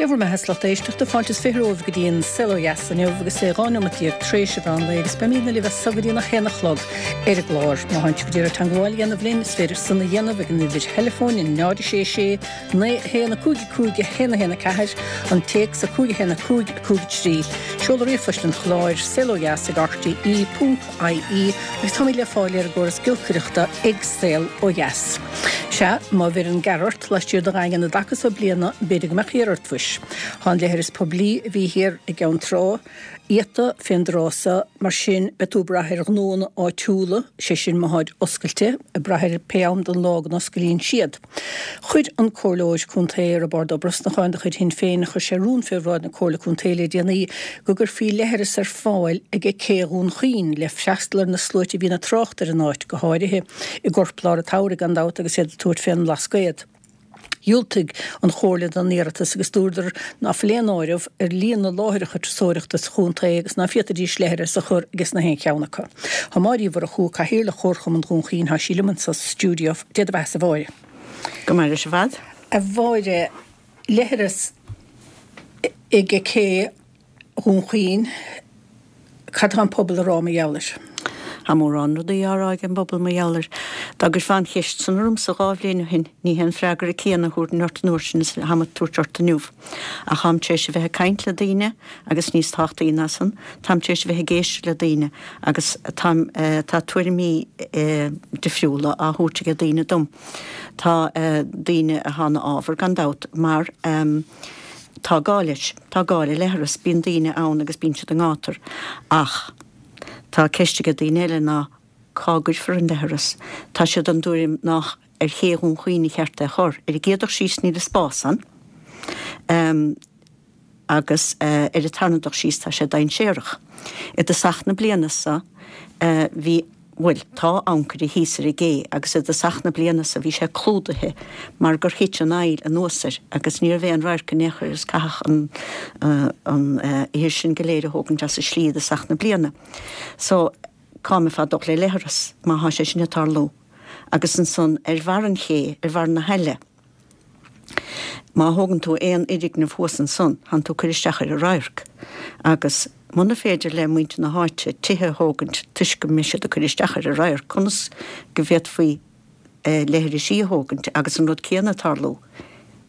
Dé bhur mbeatha 's lucht éisteachta, fáilte is 20 romhaibh go dtí an Saol Ó Dheas inniu agus é 12 neomat tar éis an mheán lae agus beimidne libh as so go dtí an 1 a chlog ar an gclár. Má thánn sibh ag iarraidh teangmháil a dhéanamh linn, is féidir san a dhéanamh ag an uimhir theileafóin 0 6 6 9 1 5 5 1 1 4, an téacs 5 1 5 5 3. Seoladh ríomhphoist an chláir, saolodheas ag rte ponc ie agus táimid le fáil ar an gcóras giolcaireachta ag Saol Ó Dheas. Sea, má bheireann gearr ort laistiar de dhaingean an dtaca so bliana, b'fhéidir go mbeadh thiar ort mhuis. Tá an leithreas poiblí a bhí thiar i gCeann Trá iata fén dtráth so, mar sin beidh tú ag brath ar ghnóanna áitiúla, sé sin má tháid oscailte, ag brath ar pé am den lá go n-oscailíonn siad. Chuir an Comhairleoir Contae Roibeárd Ó Brosnacháin de chuid Shinn Féin, chuir sé rún fé bhráid na Comhairle Contae le déanaí go gcuirfí leithreas ar fáil ag Cé Dhún Chaoin le freastal ar na sluaite a bhíonn ag trácht ar an áit, go háirithe i gcorplár an tsamhraidh gan dabht agus iad ag tabhairt fén mBlascaod. Dhiúltaigh an Chomhairle don iarratas agus dúradar ná fuil aon áireamh ar líon na láithreacha turasóireachta sa chontae agus ná féadfaidís leithreas a chur ages na haon cheann acu. Tá Máire Uí Mhurchú, Cathaoirleach Chomharchumann Dhún Chaoin, tá sí liom anso sa stiúideo. Dé do bheathasa a Mháire. Go maire sibh ar fad. A Mháire, leithreas ag Cé Dhún Chaoin, cad tá an pobal a rá mar gheall air? Tá mórán rudaí á rá ag an bpobal mar gheall air. Dá gcuirfeá an cheist san ormsa 2 bhliain ó shin, ní hé an freagra céanna a thabharfainn ort an uair sin is atáim ag tabhairt ort inniu. Ach táim tar éis a bheith ag caint le daoine agus níos tábhachtaí ná san, táim tar éis a bheith ag éisteacht le daoine agus táim, tá tuairimí difriúla á thabhairt ag daoine dom. Tá daoine atá ina fhábhar gan dabht mar tá gá leis, tá gá le leithreas, bíonn daoine ann agus bíonn siad i ngátar. Ach tá ceist ag daoine eile ná cá gcuirfear an leithreas? Tá siad den dtuairim nách ar ché Dhún Chaoin a cheart é a chur. Ar an gcéad dul síos níl an spás ann agus ar an tarna dul síos tá sé dainséarach. I dtosach na bliana so bhí, bhuel, tá ancaire thíos ar an gcé agus i dtosach na bliana so bhí sé clúdaithe mar gur thit an aill anuas air agus ní raibh aon radharc in aon chor agus caitheadh an an ithir sin go léir a thógaint as an slí i dtosach na bliana. So cá mbeifeá ag dul le leithreas má thá sé sin ag tarlú? Agus ansan ar bharr an ché, ar bharr na haille, má thógann tú aon fhoirgneamh thuas ansan, thánn tú ag cur isteach ar an radharc. Agus muna féidir le muintir na háite tithe a thógaint toisc go mbeidh siad ag cur isteach ar an radharc, conas go bhféadfaí leithrisí a thógaint agus an rud céanna ag tarlú?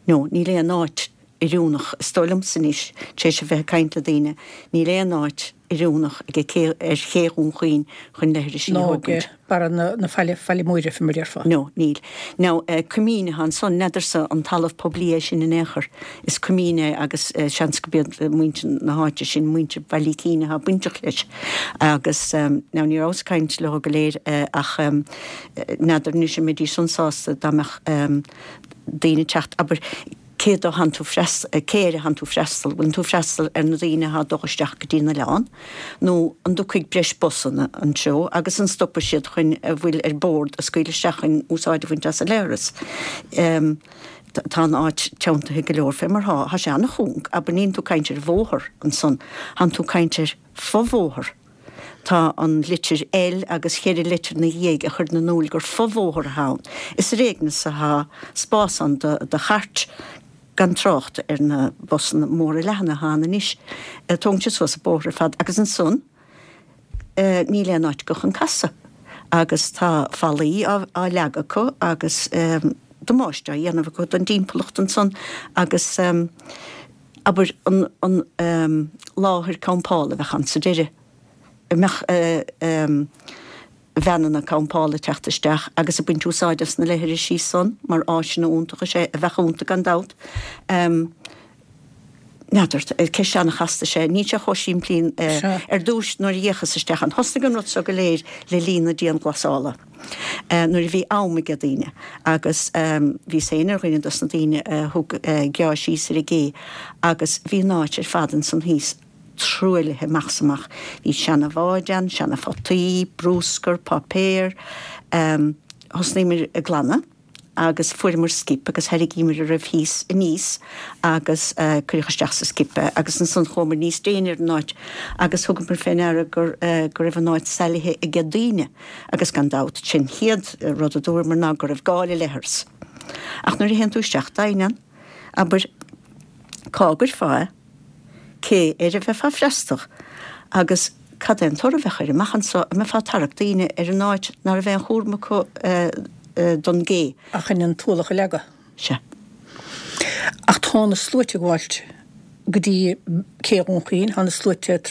No, níl aon áit oiriúnach, is dóigh liomsa anois, tar éis a bheith ag caint le daoine, níl aon áit oiriúnach ag cé, ar ché Dhún Chaoin chun leithrisí a Nó ag thógaint. barra na, na faille, Faille Móire, fé mar a déarfá. No, níl. Now, coimín atá ansan, n'fheadarsa an talamh poiblí é sin in aon chor. Is coimín é agus seans go b'iad muintir na háite sin, muintir Bhaile Icín atá bainteach leis. Agus, now ní rabhas ag caint leo go léir ach n'fheadar anois an mbeidís san sásta dá mbeadh daoine ag teacht, abair, Cé dó thánn tú freastal, cé air a thánn tú freastal? Bhfuileann tú freastal ar na daoine athá ag dul isteach go dtí an oileán nó an dtiocfaidh breis busanna anseo agus an stopfaidh siad chun a bhfuil ar bord a scaoileadh isteach chun úsáid a bhaint as an leithreas? Tá an áit teanntaithe go leor fé mar thá. Thá sé ana-chúng, abair níonn tú caint ar bhóthar ansan, thánn tú caint ar fo-bhóthar. Tá an litir L agus cheithre leitir 'na dhiaidh a chuireann in iúil gur fo-bhóthar athá ann. Is ar éigean is athá spás ann do chairt, gan trácht ar na busanna móra leathana athá ann anois. Tógann siad suas an bóthar ar fad agus ansan níl aon áit acu chun casadh agus tá fallaí á leagadh acu agus damáiste á dhéanamh acu don dtimpeallacht ansan agus abair, an láthair campála a bheadh ann sa deireadh, an mbeadh veaineanna campála ag teacht isteach agus ag baint úsáid as na leithrisí san mar áiseanna iontacha, sé a bheadh iontu gan dabht. N'fheadar, ceist an-chasta is ea, níl sé chomh simplí ar dtúis nuair a d'fhéachas isteach ann. Thosnaigh an rud seo go léir le linn na dianghlasála. nuair a bhí am aige daoine agus bhíos féin ar dhuine dos na daoine a thug geá síos ar an gcé agus bhí an áit ar fad ansan thíos truaillithe amach 's amach. Bhí seana bháid ann, seana photaí, brúscar, páipéar. Thosnaíomar ag glanadh. agus fuaireamar skip agus tharraingíomar a raibh thíos aníos agus cuireadh isteach sa skip é agus ansan chuamar níos déine ar an áit agus thugamar fé ndeara gur go raibh an áit salaithe aige daoine agus gan dabht sin chéad rud a dúramar ná go raibh gá le leithreas. Ach nuair a théann tú isteach doimhin ann, abair. Cá gcuirfeá é? Cé air a bheifeá ag freastal? Agus cad é an toradh a bheadh air amach anso? An mbeifeá ag tarrac daoine ar an áit ná raibh aon chúram acu don gcé? Ach chun an t-ualach a leagadh. Sea. Ach tá na sluaite ag gabháilt go dtí Cé Dhún Chaoin, tá na sluaite ag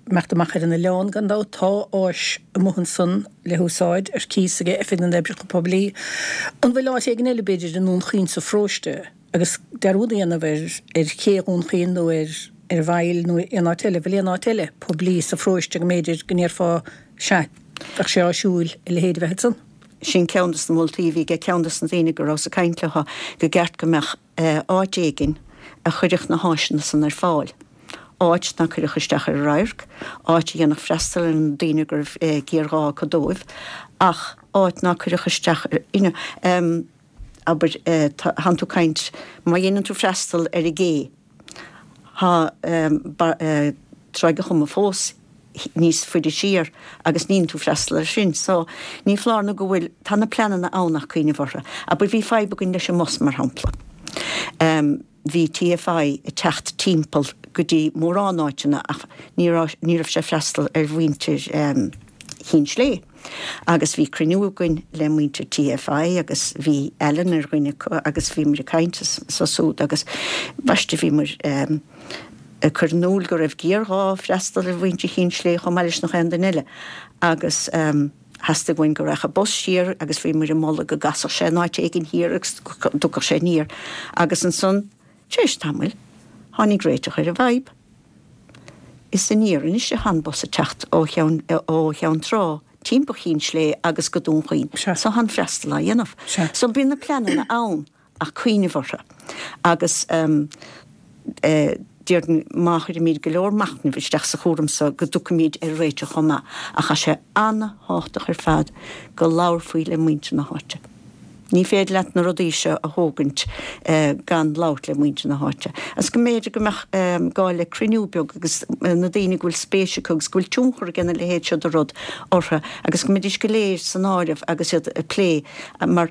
imeacht amach ar an oileán gan dabht, tá áis amuigh ansan le húsáid ar cíos ag Oifig na nOibreacha Poiblí. An bhfuil áit éigin eile b'fhéidir i nDún Chaoin sa pharóiste agus dearúd a dhéanamh ar ar Ché Dhún Chaoin nó ar ar an bhFaill nó aon áit eile, bhfuil aon áit eile poiblí sa pharóiste go mb'fhéidir go ndéarfá sea, bheadh sé áisiúil a leithéid a bheith ansan? Sin ceann des na moltaí a bhí ag ceann des na daoine go rabhas ag caint leo, go gceart go mbeadh áit éigin a chuirfeadh na háiseanna san ar fáil, áit ná cuirfeadh isteach ar an radharc, áit a dhéanfadh freastal ar na daoine go raibh géarghá acu dóibh, ach áit ná cuirfeadh isteach ar, you know, abair, tánn tú ag caint, má dhéanann tú freastal ar an gcé, Tá Tráigh a' Choma fós níos faide siar agus ní dhéanann tú freastal air sin. So, ní foláir nó go bhfuil, tá na pleananna ann ach cuimhneamh orthu. Abair, bhí fadhb againn leis an mbus, mar shampla. Bhí TFI ag teacht timpeall go dtí mórán áiteanna ach ní raibh, ní raibh sé ag freastal ar mhuintir Chinn Slé. Agus bhí cruinniú againn le muintir TFI agus bhí Alan ar dhuine acu agus bhí muid ag caint anso súd agus ambaiste bhí muid ag cur in iúl go raibh géarghá freastal ar mhuintir Chinn Slé chomh maith leis nach aon duine eile agus theastaigh uainn go rachadh bus siar agus bhí muid ag moladh go gcasfadh sé in áit éigin thiar agus go dtiocfadh sé aniar agus ansan tar éis tamaill tháinig réiteach ar an bhfadhb. Is aniar anois atá an bus ag teacht ó Cheann ó Cheann Trá timpeall Chinn Slé agus go Dún Chaoin. So tá an freastal á dhéanamh. So bíonn na pleananna ann ach cuimhneamh orthu. Agus déarfainn má chuirimid go leor machnaimh isteach sa chúram so go dtiocfaimid ar réiteach chomh maith. Ach tá sé an-thábhachtach ar fad go labharfaí le muintir na háite. Ní féidir leat na rudaí seo a thógaint gan labhairt le muintir na háite. Agus go mb'fhéidir go mbeadh gá le cruinniú beag agus na daoine go bhfuil spéis acu agus go bhfuil tionchar ag a leithéid seo de rud orthu agus go mbeidís go léir san áireamh agus iad ag plé mar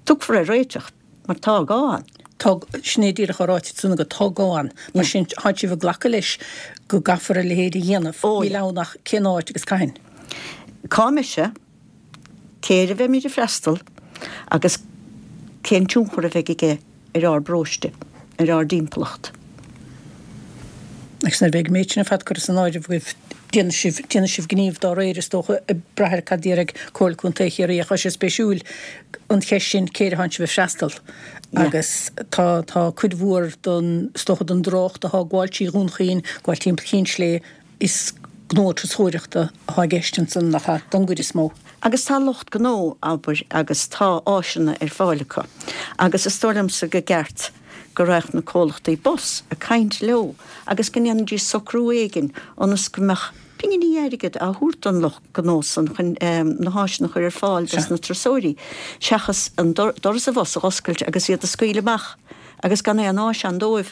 tiocfar ar réiteach mar tá gá ann. Tá, sin é díreach á ráite ansan agat, tá gá ann. Mar sin, tá sibh ag glacadh leis go gcaithfear a leithéid a dhéanamh. Níl ann ach cén áit agus cathain. Cá mbeidh sé? Cé air a bheimid ag freastal agus cén tionchar a bheidh aige ar ár bparóiste, ar ár dtimpeallacht? Agus nuair a bheidh an méid sin ar fad curtha san áireamh agaibh, déanfaidh sibh, déanfaidh sibh gníomh dá réir, is dócha, ag brath ar cad a déarfaidh Comhairle Contae Chiarraí. Ach tá sé spéisiúil an cheist sin, cé air atánn sibh ag freastal? Agus tá, tá cuid mhór den, is dócha, den dtrácht atá ag gabháil trí Dhún Chaoin, ag gabháil timpeall Chinn Slé, Is gnó turasóireachta atá i gceist ansan, nach ea, don gcuid is mó. Agus tá lucht gnó, abair, agus tá áiseanna ar fáil acu. Agus is dóigh liomsa go gceart go raghadh na comhlachtaí bus ag caint leo agus go ndéanfaidís socrú éigin ionas go mbeadh pinginí airgid á thabhairt don lucht gnó san chun na háiseanna a chur ar fáil dos na turasóirí, seachas an doras an bhus a dh'oscailt agus iad a scaoileadh amach agus gan aon áis ann dóibh.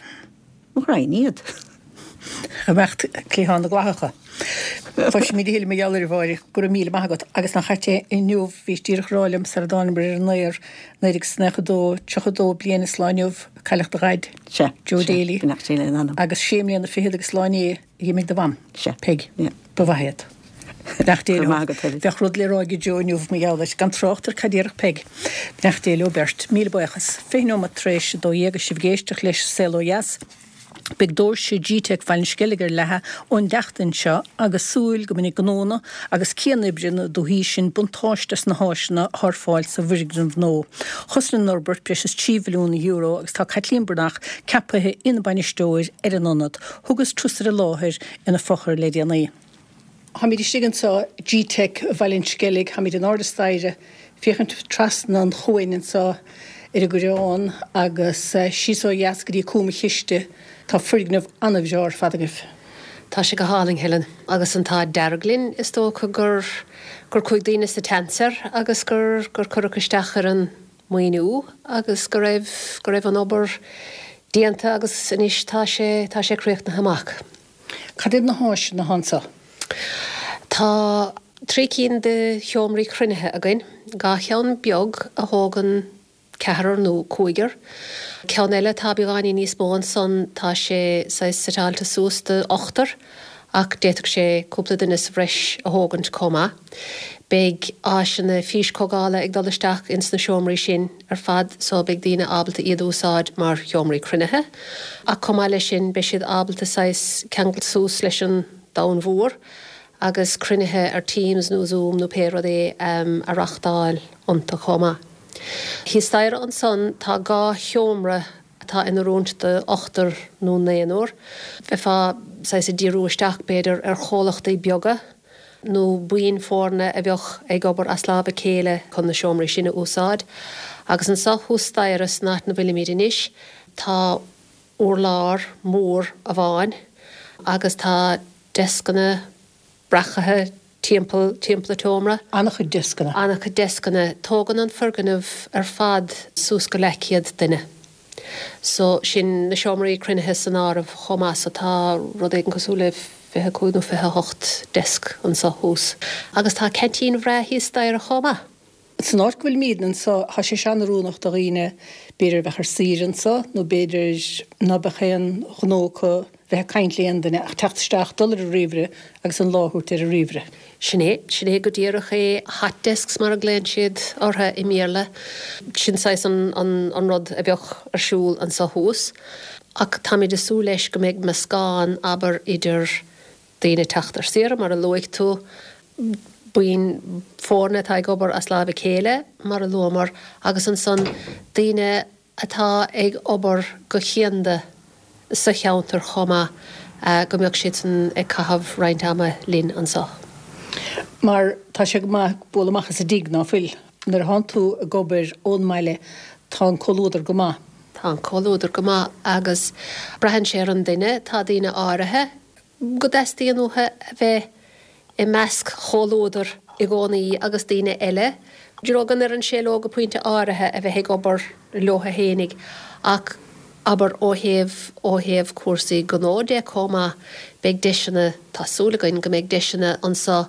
Mo ghraidhin iad. Ag imeacht cliathán na gclathacha. Cloisfimid a thuilleadh mar gheall air, a Mháire. Go raibh míle maith agat. Agus nach ait é inniu, bhís díreach ag rá liom sara dtánamar ar an aer, 1992, 32 bliain is lá inniu, a cailleadh do dhaid, Sea, Joe sea, Daly. Beannacht Dé lena anam. Agus sé mbliana fichead agus lá inné a dh'imigh do mham, Sea. Peig. Yeah. Ba mhaith iad. Beannacht Dé Go leo. raibh maith agat, Helen. Bheadh rud le rá ag Joe inniu mar gheall air, gan trácht ar cad déarfadh Peig. Beannacht Dé leo beirt. Míle buíochas. 20 nóimeat tar éis 12 agus sibh ag éisteacht leis Saol Ó Dheas. Beidh doirse Gteic Bhaile an Sceilg ar leathadh ón tseachtain seo agus súil go mbainfidh gnónna agus cianoibrithe na dúthaí sin buntáiste as na háiseanna atá ar fáil sa bhfoirgneamh nua. Chosnaigh an fhorbairt breis is €3 mhilliún agus tá Caitlín Breathnach ceaptha ina bainisteoir ar an ionad. Thugas turas ar an láthair ina fochair le déanaí. Táimid istigh anseo, Gteic Bhaile an Sceilg, táimid in airde staighre, féachaint trasna an chuain anseo ar an gCoireán agus síos ó dheas go dtí Cúm an Chiste. Tá foirgneamh an-bhreá ar fad agaibh. Tá sé go hálainn, Helen. Agus an t-ádh dearg linn, is dócha, gur gur chuaigh daoine sa tseans air agus gur gur cuireadh isteach ar an maoiniú agus go raibh go raibh an obair déanta agus anois tá sé tá sé críochnaithe amach. Cad iad na háiseanna atá anseo? Tá trí cinn de sheomraí cruinnithe againn, dhá cheann beag a thógann. ceathrar nó cúigear. Ceann eile atá beagáinín níos mó ansan, tá sé saghas suiteáilte suas do ochtar ach d'fhéadfadh sé cúpla duine sa bhreis a thógaint chomh maith. Beidh áiseanna físchomhdhála ag dul isteach ins na seomraí sin ar fad so beidh daoine ábalta iad a úsáid mar sheomraí cruinnithe ach chomh maith leis sin beidh siad ábalta saghas ceangailt suas leis an domhan mhór agus cruinnithe ar Teams nó Zoom nó pé rud é a reachtáil iontu chomh maith. Thíos staighre ansan tá 2 sheomra atá in oiriúint do ochtar nó naonúr. Bheifeá saghas ag díriú isteach b'fhéidir ar chomhlachtaí beaga nó buíon foirne a bheadh ag obair as lámh a chéile chun na seomraí sin a úsáid. Agus anso thuas staighre san áit 'na bhfuilimid anois tá urlár mór amháin agus tá deascanna breacaithe timpeall timpeall an tseomra. An-chuid deascanna. An-chuid deascanna. Tógann an foirgneamh ar fad suas go leathchéad duine. So, sin na seomraí cruinnithe san áireamh chomh maith. So tá rud éigin cosúil le 25 nó 28 deasc anso thuas. Agus tá ceaintín bhreá thíos staighre chomh maith. San áit go bhfuilimidne anso, tá sé seo an-oiriúnach do dhaoine, b'fhéidir a bheadh ar saoire anso, nó b'fhéidir ná beadh aon ghnó acu bheith ag caint le aon duine ach teacht isteach, dul ar an ríomhaire agus an lá a thabhairt ar an ríomhaire. Sin é, sin é go díreach é, hot desks mar a ghlaonn siad orthu i mBéarla. Sin saghas an, an, an rud a bheadh ar siúl anso thuas. Ach táimid ag súil leis go mbeidh meascán, abair, idir daoine ag teacht ar saoire, mar a luaigh tú, buíon foirne atá ag obair as láimh a chéile, mar a luamar, agus ansan daoine atá ag obair go cianda sa cheantar chomh maith, go mbeadh siadsan ag caitheamh roinnt ama linn anso. Mar tá sé go maith bualadh amach as an dtigh, ná fuil? Nuair a thánn tú ag obair ón mbaile, tá an comhluadar go maith. Tá an comhluadar go maith agus braitheann sé ar an duine, tá daoine áirithe, go dteastaíonn uathu a bheith i measc chomhluadar i gcónaí agus daoine eile, you know, go n-oireann sé leo go pointe áirithe a bheith ag obair leo fhéinig ach abair ó thaobh, ó thaobh cúrsaí gnó de chomh maith, beidh deiseanna, tá súil againn go mbeidh deiseanna anso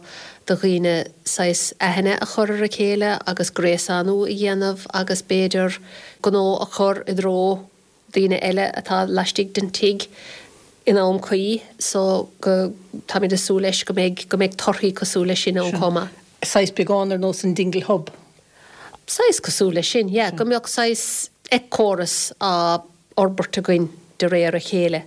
do dhaoine saghas aithne a chur ar a chéile agus gréasánú a dhéanamh agus b'fhéidir gnó a chur i dtreo daoine eile atá laistigh den tigh in am cuí so go, táimid ag súil leis go mbeidh, go mbeidh torthaí cosúil leis sin ann chomh maith. Saghas beagán ar nós an Dingle Hub. Saghas cosúil leis sin, yeah, go mbeadh saghas éiceachóras á fhorbairt againn de réir a chéile.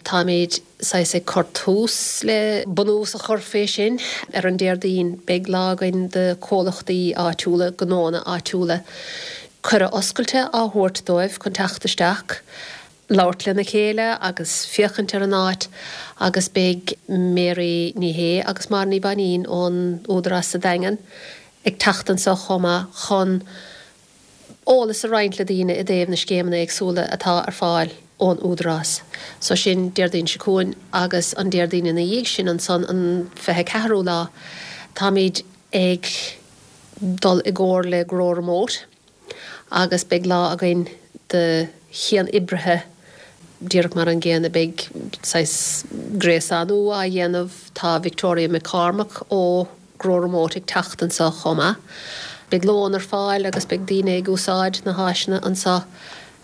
Táimid saghas ag cur tús le bunús a chur fé sin. Ar an Déardaoin beidh lá againn do chomhlachtaí áitiúla, gnóanna áitiúla, cuireadh oscailte á thabhairt dóibh chun teacht isteach, labhairt lena chéile agus féachaint ar an áit agus beidh Mary Ní Shé agus Máire Ní Mhainín ón Údarás sa Daingean ag teacht anso chomh maith chun eolas a roinnt le daoine i dtaobh na scéimeanna éagsúla atá ar fáil ón Údarás. So sin Déardaoin seo chugainn agus an Déardaoin ina dhiaidh sin ansan an 24ú lá táimid ag dul i gcomhar le Grow Remote agus beidh lá againn do chian-oibrithe díreach mar an gcéanna. Beidh saghas gréasánú á dhéanamh, tá Victoria McCormack ó Grow Remote ag teacht anseo chomh maith. Beidh lón ar fáil agus beidh daoine ag úsáid na háiseanna anseo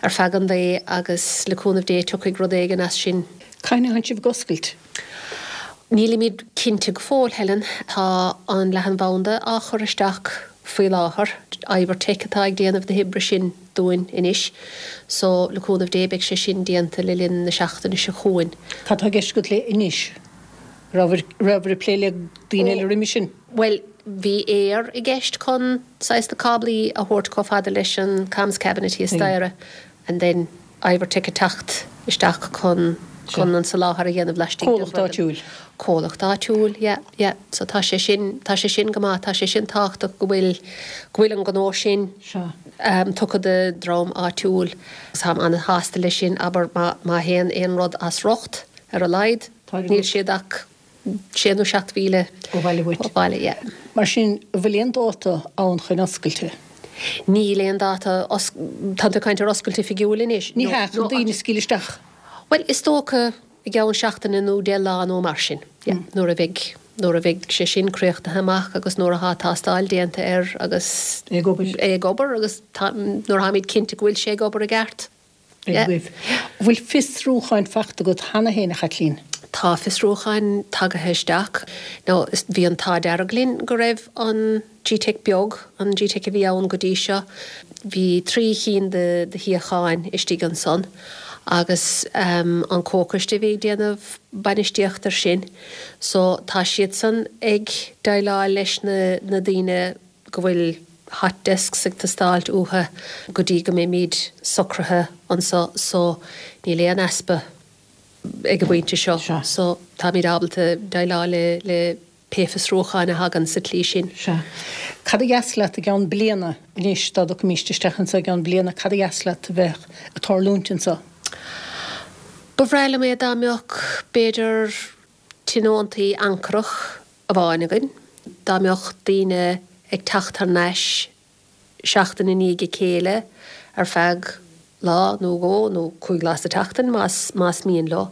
ar feadh an lae agus le cúnamh Dé tiocfaidh rud éigin as sin. Cathain a théann sibh ag oscailt? Nílimid cinnte go fóill, Helen. Tá an leathanbhanda á chur isteach faoi láthair. Ivertech atá ag déanamh na hoibre sin dúinn anois. So, le cúnamh Dé, beidh sé sin déanta le linn na seachtaine seo chugainn. Cad tá i gceist agat le anois? Rabhabhair ag plé le daoine eile roimhe sin? Bhuel, bhí Eir i gceist chun saghas na cáblaí a thabhairt chomh fada leis an comms cabinet thíos staighre and then Ivertech ag teacht isteach chun chun an soláthar a dhéanamh laistigh den Comhlacht áitiúil. Comhlacht áitiúil, yeah, yeah. So tá sé sin, tá sé sin go maith, tá sé sin tábhachtach go bhfuil, go bhfuil an gnó sin tugtha do dhream áitiúil. Táim an-shásta leis sin, abair má, má théann aon rud as riocht ar a laghad, níl siad ach sé nó 7 mhíle ó bhaile uait. Ó bhaile, yeah. Mar sin, an bhfuil aon dáta ann chun oscailte? Níl aon dáta, tá tú ag caint ar oscailt oifigiúil anois? Ní hea, chun daoine a scaoileadh isteach. Bhuel, is dócha i gceann seachtaine nó 10 lá nó mar sin, yeah, nuair a bheidh. Nuair a bheidh sé sin críochnaithe amach agus nuair atá tástáil déanta air agus É ag obair. é ag obair agus nuair atáimid cinnte go bhfuil sé ag obair i gceart. Ag goimh. An bhfuil fiosrúcháin fachta agat cheana féin, a Chaitlín? Tá fiosrúcháin tagaithe isteach. Now, bhí an t-ádh dearg linn go raibh an GTeic beag, an GTeic a bhí ann go dtí seo, bhí 3 chinn de shuíocháin istigh ansan agus an comhchoiste a bhí ag déanamh bainistíocht ar sin so tá siadsan ag déileáil leis na daoine go bhfuil hot desks ag teastáilt uathu go dtí go mbeimid socraithe anso so níl aon easpa ag an bpointe seo so táimid ábalta déileáil le pé fiosrúcháin a thagann sa tslí sin. Sea. Cad a dheas leat i gceann bliana anois, dá dtiocfaimíst isteach anso i gceann bliana, cad a dheas leat a bheith ag tarlúint anso? Ba bhreá liom é dá mbeadh, b'fhéidir, tionóntaí ancorach amháin againn, dá mbeadh daoine ag teacht thar n-ais seachtain i ndiaidh a chéile ar feadh lá nó dhó nó chúig lá sa tseachtain más más mian leo.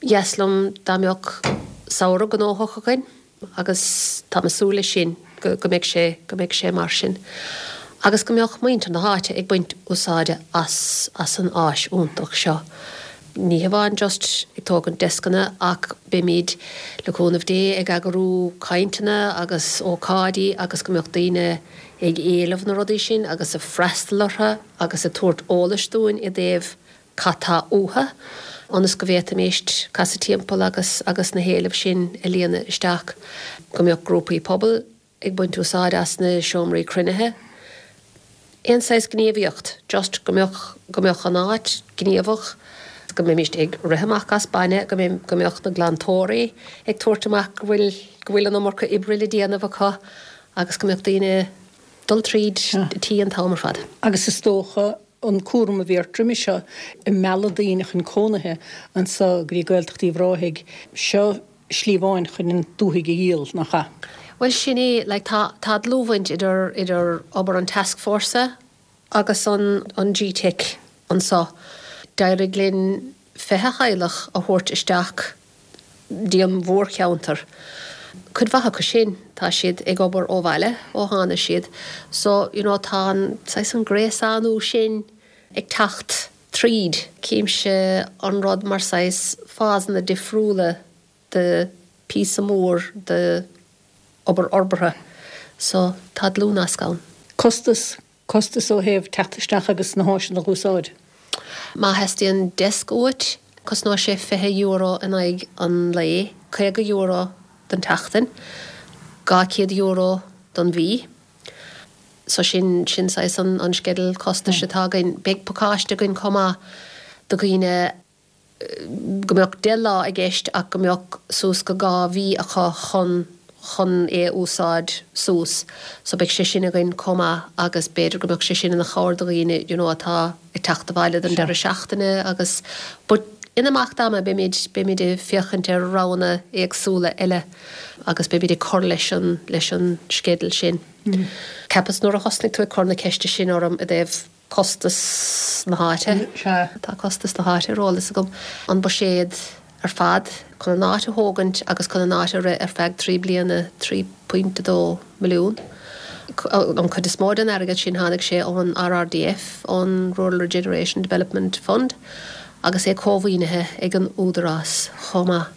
Dheas liom dá mbeadh samhradh gnóthach againn agus táim ag súil leis sin go go mbeidh sé go mbeidh sé mar sin. Agus go mbeadh muintir na háite ag baint úsáide as as an áis iontach seo. Ní hamháin just ag tógaint descanna ach beimid, le cúnamh Dé, ag eagrú cainteanna agus ócáidí agus go mbeadh daoine ag éileamh na rudaí sin agus ag freastal orthu agus ag tabhairt eolais dúinn i dtaobh cad tá uathu ionas go bhféadfaimíst casadh timpeall agus agus na héilimh sin a líonadh isteach. Go mbeadh grúpaí pobail ag baint úsáid as na seomraí cruinnithe. Aon saghas gníomhaíocht, just go mbeadh, go mbeadh an áit gníomhach, go mbeimíst ag rith amach as bainne, go mbeidh, go mbeadh na glantóirí ag tabhairt amach go bhfuil, go bhfuil an iomarca oibre le déanamh acu agus go mbeadh daoine dul tríd an tí an t-am ar fad. Agus is dócha an cúram a bhí ort roimis seo, ag mealladh daoine chun cónaithe anso go dtí Gaeltacht Uíbh Ráthaigh, seo slí amháin chun an dúthaigh a dhíol, nach ea? Bhuel, sin é, like, tá, tá dlúthbhaint idir, idir obair an tascfhórsa agus an, an GTeic anso. D'éirigh linn 20 theaghlach a thabhairt isteach dtí an mhórcheantar. Cuid mhaith acu sin, tá siad ag obair ó bhaile ó tháinig siad. So, you know, tá an, saghas an gréasánú sin ag teacht. tríd. Címse an rud mar saghas fásanna difriúla de píosa mór de obair fhorbartha. So, tá dlúthnasc ann. Costas, costas ó thaobh teacht isteach agus na háiseanna a úsáid. Má theastaíonn desk uait, cosnóidh sé €20 in aghaidh an lae, €50 don tseachtain, €200 don mhí. So sin, sin saghas an, an sceideal costais atá againn. Beidh pacáiste againn chomh maith do dhaoine go mbeadh 10 lá i gceist ach go mbeadh suas go 2 mhí acu chun, chun é a úsáid suas. So beidh sé sin againn chomh maith agus b'fhéidir go mbeadh sé sin ina chabhair do dhaoine you know atá ag teacht abhaile don deireadh seachtaine agus but in imeacht ama beimid, beimid ag féachaint ar roghanna éagsúla eile agus beimid ag cur leis an, leis an sceideal sin. Cheapas nuair a thosnaigh tú ag cur na ceiste sin orm i dtaobh costas na háite, tá costas na háite ar eolas agam, an buiséad ar fad chun an áit a thógaint agus chun an áit a rith ar feadh 3 bliana, 3.2 milliún. An chuid is mó den airgead sin tháinig sé ón RRDF, ón Rural Regeneration Development Fund, agus é cómhaoinithe ag an Údarás chomh maith.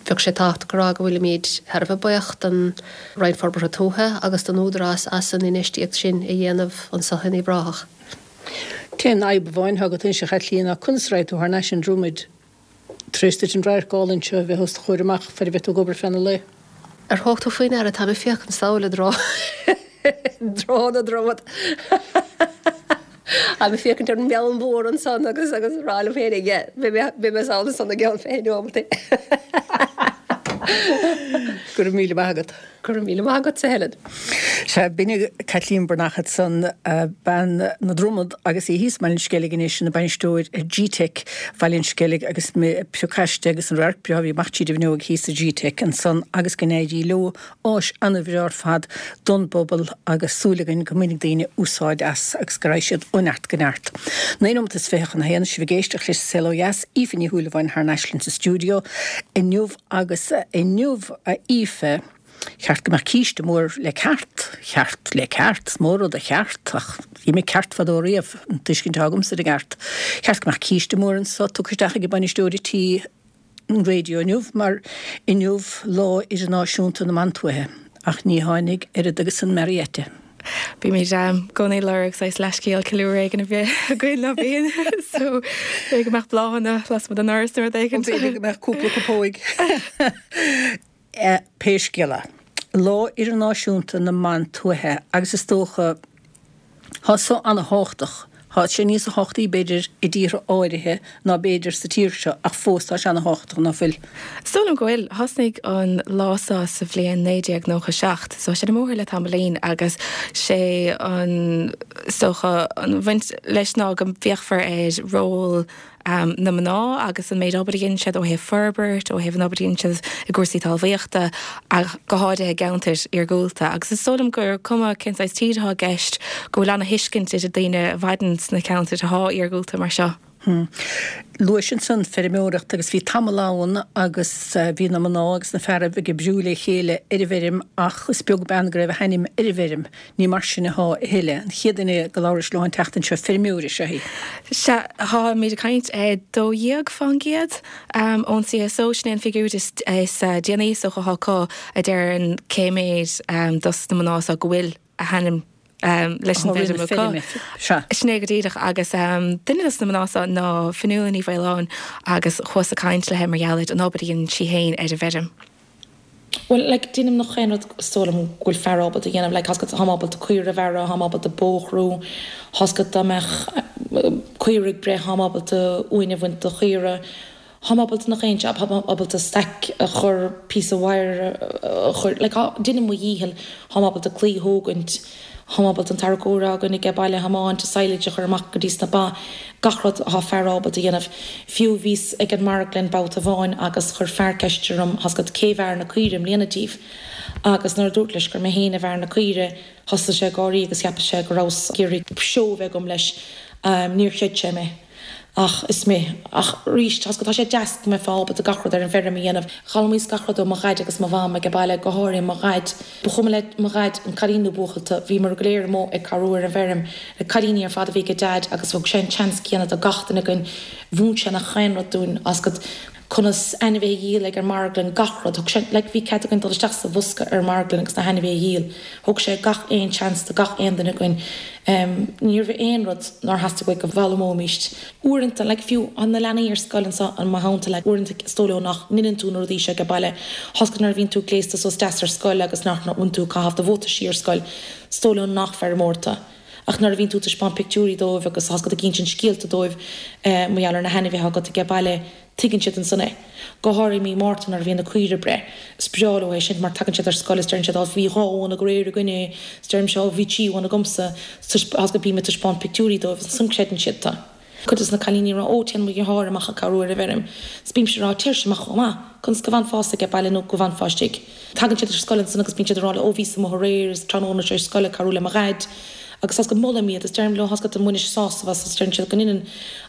Bheadh sé tábhachtach a rá go bhfuilimid thar a bheith buíoch don Roinn Forbartha Tuaithe agus don Údarás as an infheistíocht sin a dhéanamh anso in Uíbh Ráthach. T-aon fhadhb amháin atá agat anois, a Chaitlín, ná conas a raghaidh tú thar n-ais an Dromaid tar éis duit an radharc álainn seo a bheith os do chomhair amach faid a bheidh tú ag obair feadh an lae. Ar thug tú faoi ndeara, táim ag féachaint sall i dtreo dtreo na Dromad. Táim ag féachaint ar an mbeann mhór ansan agus agus ag rá liom féinig, yeah, beidh mé beidh mé sall ansan i gceann 20 neomat. Go raibh míle maith agat. Go raibh míle maith agatsa, Helen. Sea, b'in í Caitlín Breathnach ansan, bean na Dromad agus í thíos i mBaile an Sceilg anois ina bainisteoir ar GTeic Bhaile an Sceilg agus piocáiste agus an radharc breá a bhí amach tríd an bhfuinneog thíos i GTeic ansan agus go n-éirí leo, áis ana-bhreá ar fad don bpobal agus súil againn go mbainfidh daoine úsáid as agus go raghaidh siad ó neart go neart. 9 nóimeat is 20 chun a haon, sibh ag éisteacht leis an Saol Ó Dheas, Aoife Ní Shúilleabháin thar n-ais linn sa stiúideo inniu agus inniu a Aoife, cheart go mbeadh císte mór le ceart, cheart le ceart, is mó rud a cheart ach bhí mé ceart fadó riamh, an tuiscint atá agamsa ar an gceart. Cheart go mbeadh císte mór anso tugtha isteach ag an bainisteoir tí an raidió inniu mar inniu Lá Idirnáisiúnta na mBan Tuaithe ach ní tháinig oiread agus an Marietta. Bímid i gcónaí ag lorg saghas leithscéal ceiliúradh éigin a bheith againn ná bíonn so b'fhéidir go mbeadh bláthanna lasmuigh den ndoras nó rud éigin. B'fhéidir go mbeadh cúpla cupóig. Pé scéal é, Lá Idirnáisiúnta na mBan Tuaithe agus is dócha Tá so ana-thábhachtach. Tá sé níos thábhachtaí, b'fhéidir, i dtíortha áirithe ná b'fhéidir sa tír seo, ach fós tá sé ana-thábhachtach, ná fuil? Is dóigh liom go bhfuil. Thosnaigh an lá seo sa bhliain 1997, so tá sé ar an mbóthar le tamaillín agus sé an, is dócha, an bhaint leis ná go bhféachfar ar ról na mná agus an méid obair a dhéanann siad ó thaobh forbairt, ó thaobh an obair a dhéanann siad i gcúrsaí talmhaíochta ach go háirithe i gceantair iargúlta. Agus is dóigh liom gur cuma cén saghas tír atá i gceist, go bhfuil ana-thuiscint idir daoine a mhaireann sna ceantair atá iargúlta mar seo. Luais ansan feirmeoireacht agus bhí tamall ann agus bhí na mná agus na fearaibh ag oibriú le chéile ar an bhfeirm ach is beag beann go raibh a hainm ar an bhfeirm. Ní mar sin athá a thuilleadh. An chéad duine go labhrais leo an tseachtain seo, feirmeoir is ea í. Sea, táimid ag caint ar 12% ón CSO, sin é an figiúr is déanaí is dócha atá acu, a deireann cé méid dos na mná seo go bhfuil a hainm leis an bhfeirm acu. Sin é go díreach agus duine dos na mná seo ná Fionnuala Ní Mhaoláin agus chuas ag caint léi mar gheall ar an obair a dhéanann sí féin ar an bhfeirm. Bhuel, like, déanaim nach aon rud is dóigh liom go bhfuil fear ábalta a dhéanamh, like, thá's agat, táim ábalta caora a bhearradh, táim ábalta bó a chrú, thá's agat, dá mbeadh caora ag breith, táim ábalta uain a bhaint do chaora, táim ábalta nach aon jab, táim ábalta staic a chur, píosa wire a chur, like, tá, déanaim mo dhícheall, táim ábalta claí a thógaint, Táim ábalta an tarracóir atá againn aige baile a thiomáint, silage a chur amach go dtí sna ba, gach rud atá fear ábalta a dhéanamh. Fiú bhíos ag an marglann babhta amháin agus chuir fear ceist orm, thá's agat, cé bhearr na caoire i mbliana díobh? Agus nuair a dúrt leis gur mé féin a bhearr na caoire, thosaigh sé ag gáirí agus cheap sé go rabhas ag iarraidh seó a bheith agam leis. Níor chreid sé mé. Ach is mé. Ach arís, tá's agat, tá sé deas go mbeifeá ábalta gach rud ar an bhfeirm a dhéanamh. D'fhoghlaimíos gach rud ó mo dhaid agus mo mham age baile, go háirithe mo dhaid. Ba chuma le mo dhaid an cailín nó buachaill tú, bhíomar go léir amuigh ag cabhrú ar an bhfeirm. Na cailíní ar fad a bhí age Deaid agus thug sé an seans céanna do gach duine againn. Mhúin sé nach aon rud dúinn, tá's agat, conas ainmhithe a dhíol ag an marglann, gach rud. Thug sé, like, bhí cead againn dul isteach sa bhosca ar an marglann agus na hainmhithe a dhíol. Thug sé gach aon chance do gach aon duine againn. Em, ní raibh aon rud nár theastaigh uaidh go bhfoghlaimeoimíst. Uaireanta, like, fiú na leanaí ar scoil anso i mo theannta, like, uaireanta is dóigh leo nach ndeineann tú na rudaí seo age baile. Tá's agat nuair a bhíonn tú gléasta suas deas ar scoil agus nach bhfuil tú ag caitheamh do bhuataisí ar scoil, is dóigh leo nach feirmeoir tú. Ach nuair a bhíonn tú ag taispeáint pictiúirí dóibh agus tá's agat ag insint scéalta dóibh mar gheall ar na hainmhithe agat age baile, tuigeann siad ansan é. Go háirithe mí Márta nuair a bhíonn na caoire ag breith. Is breá leo é sin mar tagann siad ar scoil is deireann siad á bhí dhá uan aréir againne is deirimse á bhí trí uan agamsa. Tá's agat bím ag taispeáint pictiúirí dóibh is ansan creideann siad tú. Cuid des na cailíní ag rá, Ó, téann mo dheartháir amach ag cabhrú ar an bhfeirm. 'S bímse ag rá, Téirse amach chomh maith. Conas go bhfanfása age baile nó go bhfanfá istigh? Tagann siad ar scoil ansan agus bíonn siad ag rá leo, Ó, bhíos amuigh aréir is tráthnóna tar éis scoile ag cabhrú le mo dhaid. Agus tá's agat molaim iad is deirim leo, tá's agat an mbainís sásamh as is deireann siad go ndeineann.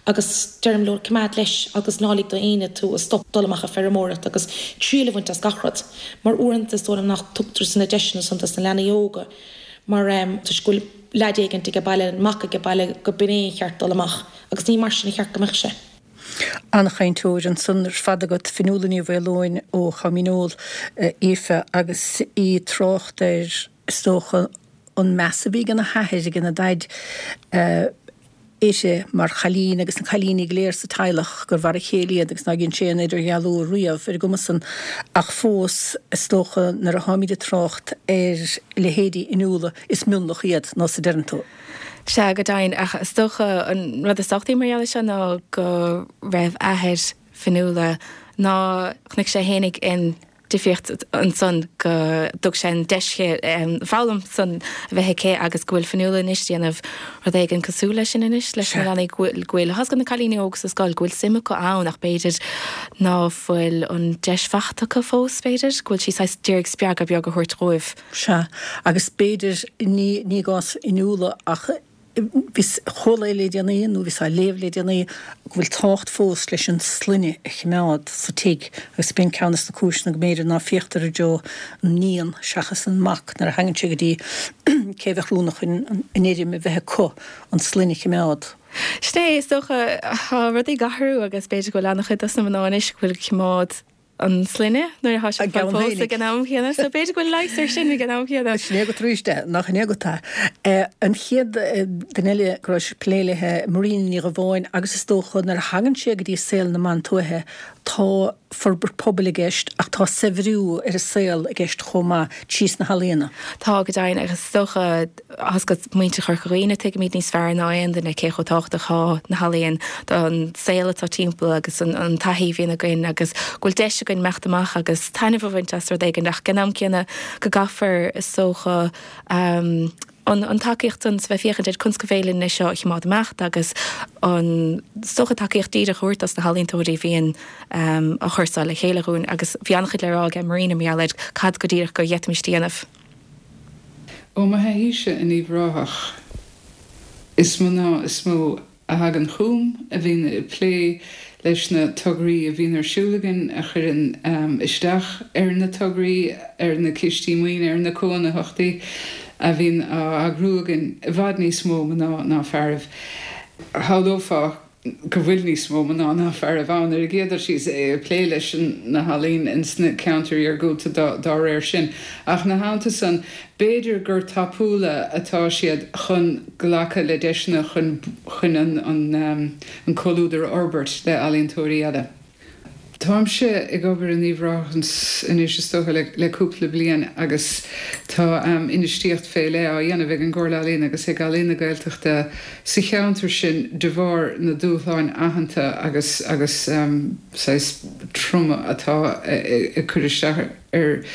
Agus deirim leo, coimeád leis agus ná lig do éinne tú a stop dul amach ag feirmeoireacht agus triail a bhaint as gach rud. Mar uaireanta is dóigh liom nach dtugtar na deiseanna san dos na leanaí óga mar toisc go bhfuil leaid éigint age baile, mac age baile, go b'in é an cheart dul amach agus ní mar sin a cheart go mbeadh sé. An-chainteoir ansan ar fad agat, Fionnuala Ní Mhaoileoin ó Chom Dhíneol, Aoife, agus í ag trácht ar, is dócha, an meas a bhí ag a hathair, ag a daid, uirthi mar chailín agus na cailíní go léir sa teaghlach, gur mhar a chéile iad agus nár dhein sé aon idirdhealú riamh ar an gcuma san. Ach fós, is dócha, nuair atháimid ag trácht ar leithéidí Fhionnuala, is mionlach iad, nós a deireann tú. Sea, go deimhin. Ach is dócha an rud is tábhachtaí mar gheall air seo ná go raibh athair Fionnuala, ná chonaic sé fhéinig in. difríocht ansan go dtug sé an deis di an foghlaim san a bheith aici agus go bhfuil Fionnuala anois ag déanamh rud éigin cosúil leis sin anois leis na leanaí go bhfuil, go bhfuil, tá 'fhios agat na cailíní óga sa scoil, go bhfuil suim acu ann ach b'fhéidir ná fuil an deis faighte acu fós b'fhéidir, go bhfuil sí saghas d'iarraidh spreagadh beag a thabhairt dhóibh. Sea, agus b'fhéidir, ní, ní i gcás Fhionnuala ach bhíos, chuala le déanaí, nó bhíos á léamh le déanaí, go bhfuil tábhacht fós leis an sloinne a chimeád sa tigh agus b'in ceann des na cúiseanna go mb'fhéidir ná féachtar i dtreo an níon seachas an mac nuair a thagann sé go dtí cé a bheadh oiriúnach chun an fheirm a bheith acu, an sloinne a chimeád. Sin é, is dócha, tá rudaí ag athrú agus b'fhéidir go bhfuil an-chuid dos na mná anois go bhfuil ag cimeád an sloinne nuair atá siad ag pósadh ag an am chéanna. So b'fhéidir go bhfuil leigheas ar sin ag an am chéanna. Sin é agat arís é, nach in é agat é. An chéad duine eile go raibh sibh ag plé léi, Marina Ní Dhubháin, agus is dócha nuair a thagann sé go dtí saol na mban tuaithe, tá forbairt pobail i gceist ach tá saibhriú ar an saol i gceist chomh maith trí sna healaíona. Tá go deimhin agus is dócha, tá 'fhios agat muintir Chorca Dhuibhne, tuigimid níos fearr ná aon duine cé chomh tábhachtach atá na healaíon don saol atá timpeall agus an taithí a bhíonn againn agus go bhfuil deis againn imeacht amach agus taitneamh a bhaint as rud éigin ach ag an am céanna go gcaithfear is dócha an tacaíocht san bheith féachaint ar conas go féidir linn é seo a chimeád imeacht agus an is dócha tacaíocht díreach a thabhairt dos na healaíontóirí a bhíonn á chur seo le chéile dhúinn agus bhí an-chuid le rá aige Marina mar gheall ar cad go díreach go bhféadfaimis a dhéanamh. Ó mo thaithíse in Uíbh Ráthach, is mná is mó a thagann chugam, a bhíonn ag plé leis na tograí a bhíonn ar siúl againn, a chuireann isteach ar na tograí, ar na cistí maoine, ar na cónaitheachtaí a bhíonn á eagrú againn, i bhfad níos mó mná ná fearaibh. Shamhlófá go bhfuil níos mó mná ná fearaibh ann ar an gcéad dul síos ag plé leis na healaín ins na ceantair iargúlta dá réir sin. Ach ina theannta san, b'fhéidir gur tapúla atá siad chun glacadh le deiseanna chun chun an an comhluadar a fhorbairt le ealaíontóirí eile. Táimse ag obair in Uíbh Ráthach anois is dócha le cúpla bliain agus tá infheistíocht fé leith á dhéanamh ag an gComhairle Ealaíon agus ag Ealaín na Gaeltachta sa cheantar sin de bharr na dúshláin aitheanta agus agus saghas troma atá ag cur isteach ar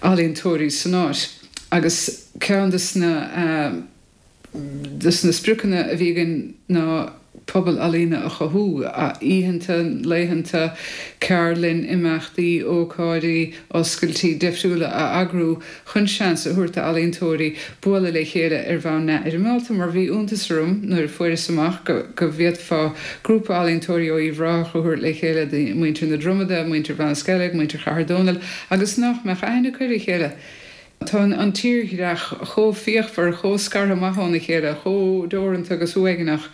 ealaíontóirí san áit agus ceann de na des na spriocanna a bhí againn ná pobal ealaíne a chothú, oícheanta, laethanta, ceardlainn, imeachtaí, ócáidí, oscailtí difriúla a eagrú chun seans a thabhairt d'ealaíontóirí bualadh le chéile ar bhonn neamhfhoirmeálta mar bhí iontas orm nuair a fuaireas amach go go bhféadfá grúpa ealaíontóirí ó Uíbh Ráthach a thabhairt le chéile, muintir na Dromada, muintir Bhanasceilg, muintir Chathair Dónall agus nach mbeadh aithne acu ar a chéile. Tá an tírdhreach chomh fíochmhar, chomh scartha amach óna chéile, chomh deoranta agus uaigneach,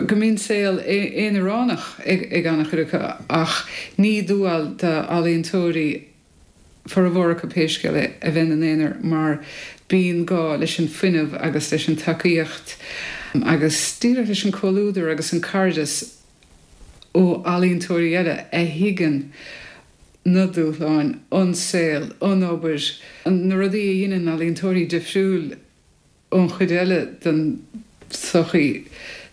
go mbíonn saol aonaránach ag an-chuid acu, ach ní dual d'ealaíontóirí, formhór acu pé scéal é, a bheith ina n-aonar mar bíonn gá leis an fuinneamh agus leis an tacaíocht agus díreach leis an comhluadar agus an cairdeas ó ealaíontóirí eile a thuigeann na dúshláin, an saol, an obair, na rudaí a dheineann ealaíontóirí difriúil ón chuid eile den tsochaí.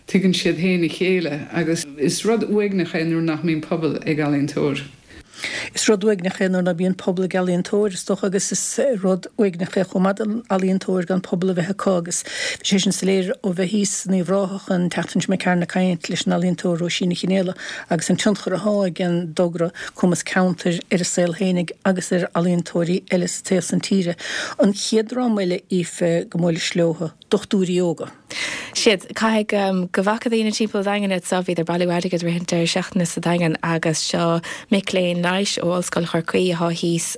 Tuigeann siad féin a chéile agus is rud uaigneach é nuair nach mbíonn pobal ag ealaíontóir. Is rud uaigneach é nuair ná bíonn pobal ag ealaíontóir, is dócha, agus is rud uaigneach é chomh maith don ealaíontóir gan pobal a bheith acu agus bhí sé sin soiléir ó bheith thíos in Uíbh Ráthach an tseachtain seo imigh tharainn ag caint leis an ealaíontóir Róisín Ní Chinéala agus an tionchar athá ag an dtogra Cumas Ceantair ar a saol fhéinig agus ar ealaíontóirí eile sa taobh san tíre. An chéad dream eile, Aoife, go mbuailis leo, dochtúirí óga. Siad. Caithfidh go bhfaca daoine timpeall an Daingin iad so. Bhíodar ag bailiú airgid rith an deireadh seachtaine sa Daingean agus seo mic léinn leighis ó Ollscoil Chorcaí athá thíos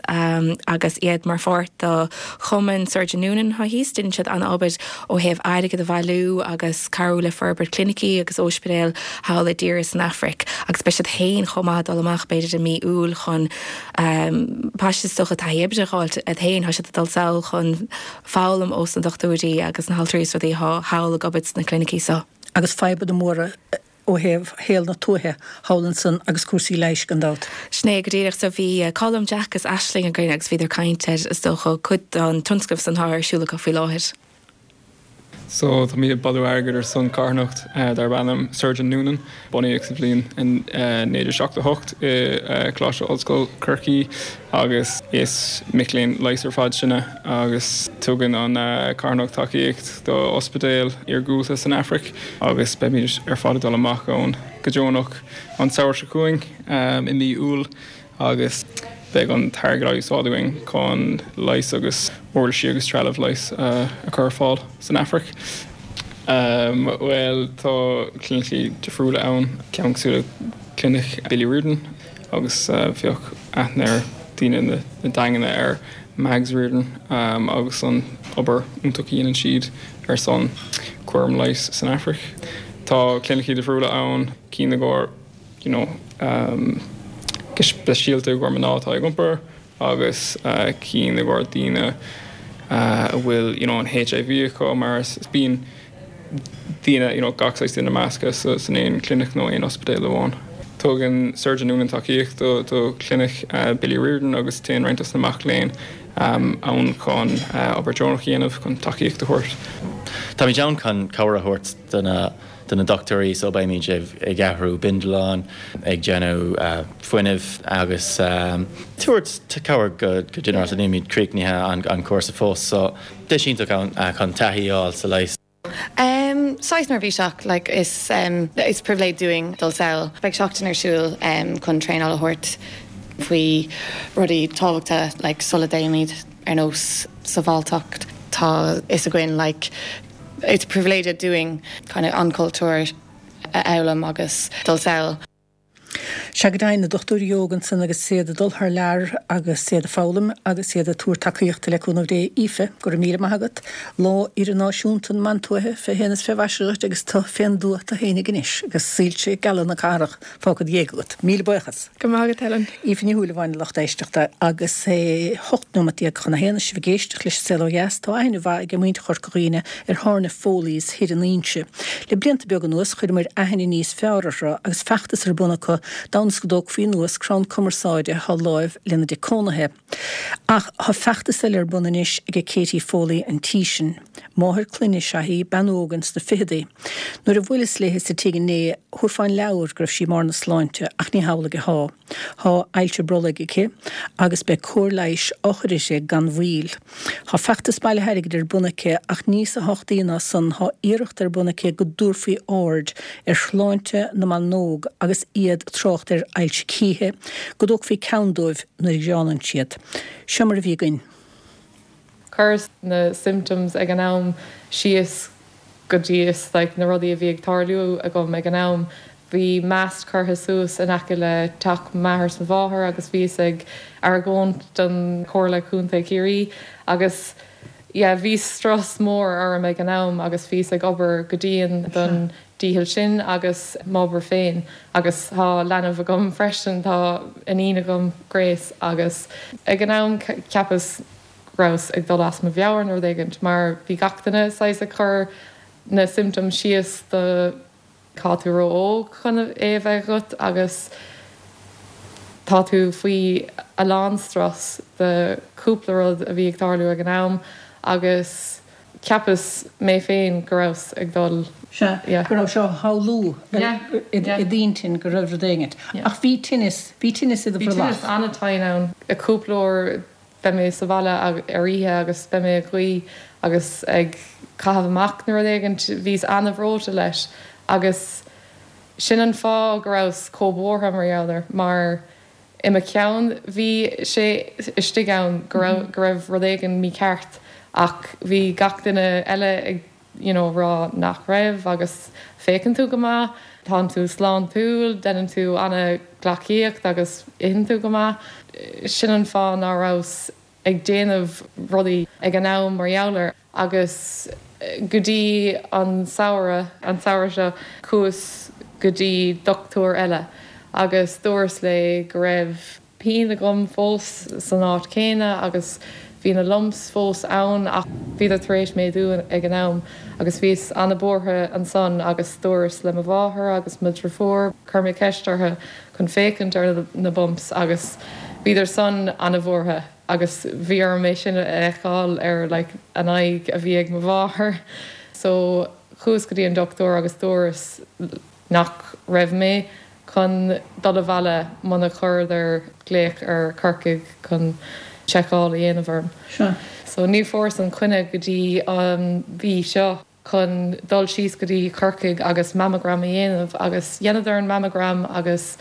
agus iad mar pháirt do chumann Surgeon Noonan athá thíos. Deineann siad an-obair ó thaobh airgead a bhailiú agus cabhrú le forbairt clinicí agus óispidéal thall i dtíortha san Afraic agus beidh siad féin chomh maith ag dul amach b'fhéidir i mí Iúil chun paiste is dócha taithí oibre a dh'fháilt iad féin. Tá siad ag dul sall chun foghlaim ós na dochtúirí agus na haltraí is rudaí athá thall ag obair sna clinicí so. Agus fadhbanna móra ó thaobh shaol na tuaithe thall ansan agus cúrsaí leighis gan dabht. Sin é go díreach. So bhí Colm, Jack is Aisling againn agus bhíodar ag caint ar, is dócha, cuid den tionscnamh san atá ar siúl acu faoi láthair. So táimid ag bailiú airgid ar son carthanacht darb ainm Surgeon Noonan. Bunaíodh sa bhliain 1978 i Coláiste Ollscoile Chorcaí agus is mic léinn leighis ar fad sinne agus tugann an carthanacht tacaíocht do ospidéil iargúlta san Afraic agus beimid ar fad ag dul amach ann go deonach an samhradh seo chugainn i mí Iúil. agus beidh an t-airgead á úsáid againn chun leigheas agus uirlisí agus trealamh leighis a chur ar fáil san Afraic. Bhuel, tá clinicí difriúla ann, ceann cosúil le Clinic Billy Riordan agus bheadh aithne ar daoine na Daingeana ar Mags Riordan agus an obair iontach a dhéanann siad ar son cúram leighis san Afraic. Tá clinicí difriúla ann, cinn i gcomhair you know go speisialta i gcomhair mná atá ag iompar agus cinn i gcomhair daoine a bhfuil you know an HIV acu mar is bíonn daoine you know gach saghas duine measctha san aon clinic nó aon ospidéal amháin. Tugann Surgeon Noonan tacaíocht do do chlinic Billy Riordan agus téann roinnt dos na mac léinn ann chun obair deonach a dhéanamh chun tacaíocht a thabhairt. Táimid ann chun cabhair a thabhairt do na do na dochtúirí so beimid ag athrú bindealáin, ag déanamh fuinnimh agus tabhairt cabhair go ginearálta. Nílimid críochnaithe an cúrsa fós so deis iontach ann chun taithí a fháil sa leigheas. Saghas neirbhíseach like is is pribhléid dúinn dul sall. Beidh seachtain ar siúl chun traenáil a thabhairt faoi rudaí tábhachta like sula dtéimid ar nós sábháilteacht. Tá fhios againn like It's pribhléid dúinn kind of an cultúr a fhoghlaim agus dul sall. Sea go deimhin, na dochtúirí óga ansan agus iad ag dul thar lear agus iad ag foghlaim agus iad ag tabhairt tacaíochta le cúnamh Dé. Aoife, go raibh míle maith agat. Lá Idirnáisiúnta na mBan Tuaithe fé haon is fé mhaise dhuit agus tu fén dtuath tu fhéinig anois agus soilse geala na cathrach fágtha 'd dhiaidh agat. Míle buíochas. Go raibh maith agat, Helen. Aoife Ní Shúilleabháin, a lucht éisteachta, agus é 18 nóimeat chun a haon is sibh ag éisteacht leis an Saol Ó Dheas. Tá aithne mhaith ag muintir Chorca Dhuibhne ar thábhairne Foley's thoir in Inse. Le blianta beaga anuas chuireamar aithne níos fearr orthu agus feachtas ar bun acu d'fhonn is go dtógfaí anuas crann cumarsáide atá láimh lena dtigh cónaithe. Ach tá feachtas eile ar bun anois ag Katie Foley an tí sin. Máthair clainne is ea í, bean óg ins na ficheadaí. Nuair a bhuaileas léithe sa tigh inné, thabharfá an leabhar go raibh sí i mbarr na sláinte, ach ní hamhlaidh athá. Thá ailse brollaigh aici agus beidh cóir leighis á chur uirthi gan mhoill. Thá feachtas bailithe airgid ar bun aici ach níosa thábhachtaí ná san, thá iarracht ar bun aici go dtabharfaí aird ar shláinte na mban óg agus iad ag trácht ar ailse cíche, go dtógfaí ceann dóibh nuair a ghreánann siad. Seo mar a bhí againn. Chuireas na symptoms ag an am síos go dtí is like na rudaí a bhí ag tarlú agam ag an am. Bhí mast curtha suas in aice le teach m'athar 's mo mháthar agus bhíos ag argóint don Chomhairle Contae Chiarraí agus yeah bhí strus mór orm ag an am agus bhíos ag obair go dian don dícheall sin agus m'obair féin agus tá leanbh agam freisin, tá iníon agam, Grace, agus ag an am cheapas go rabhas ag dul as mo mheabhair nó rud éigint mar bhí gach duine saghas ag cur na symptoms síos do tá tú ró-óg chun é a bheith agat agus tá tú faoi a lán strus de cúpla rud a bhí ag tarlú ag an am agus Cheapas mé féin go rabhas ag dul. Sea, go raibh sé á shamhlú i d'intinn go raibh rud éigint. Ach bhí tinneas, bhí tinneas i do bhrollach. Bhí tinneas an-tinn ann. Cúpla uair beidh mé sa bhaile ar oíche agus beidh mé ag guí agus ag caitheamh amach nó rud éigint. Bhíos an-bhreoite leis agus sin an fáth go rabhas chomh buartha mar gheall air mar I mo cheann bhí sé istigh ann go raibh go raibh rud éigin mícheart ach bhí gach duine eile ag you know rá nach raibh agus féachann tú go maith, tánn tú sláintiúil, deineann tú ana-ghleacaíocht agus itheann tú go maith. Sin an fáth ná rabhas ag déanamh rudaí ag an am mar gheall air agus go dtí an samhradh, an samhradh seo, chuas go dtí dochtúir eile agus dúras léi go raibh pian agam fós san áit chéanna agus bhí na lumps fós ann ach bhíodar tar éis méadú ag an am agus bhíos ana-buartha ansan agus dúras le mo mháthair agus mo dhriofúr, chuir mé ceist orthu chun féachaint ar na bumps agus bhíodar san ana-bhuartha agus bhí orm é sin a fheiceáil ar like an aghaidh a bhí ag mo mháthair. So chuas go dtí an dochtúir agus dúras nach raibh mé chun dul abhaile muna chuireadar glaoch ar Corcaigh chun seiceáil a dhéanamh orm. Sea. So ní fuaireas an coinne go dtí an mhí seo chun dul síos go dtí Corcaigh agus mammogram a dhéanamh agus dheineadar an mammogram agus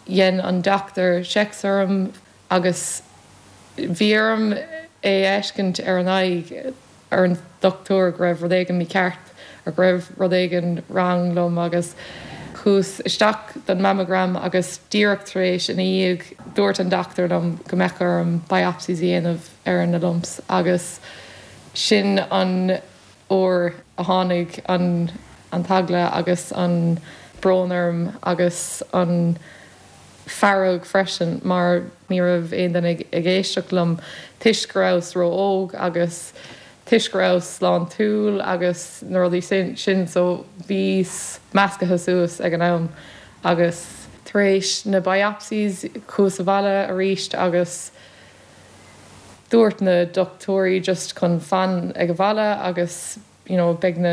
dhein an dochtúir checks orm agus bhí orm é a fheiscint ar an aghaidh ar an dochtúir go raibh rud éigin mícheart or go raibh rud éigin wrong liom agus chuas isteach don mammogram agus díreach tar éis ina dhiaidh dúirt an dochtúir liom go mbeadh orm biopsies a dhéanamh ar na lumps agus sin an uair a tháinig an an t-eagla agus an brón orm agus an fearg freisin mar ní raibh aon duine ag éisteacht liom toisc go rabhas ró-óg agus toisc go rabhas sláintiúil agus na rudaí sin so bhíos meascaithe suas ag an am agus tar éis na biopsies chuas abhaile arís agus dúirt na dochtúirí just chun fan ag an bhaile agus you know beidh na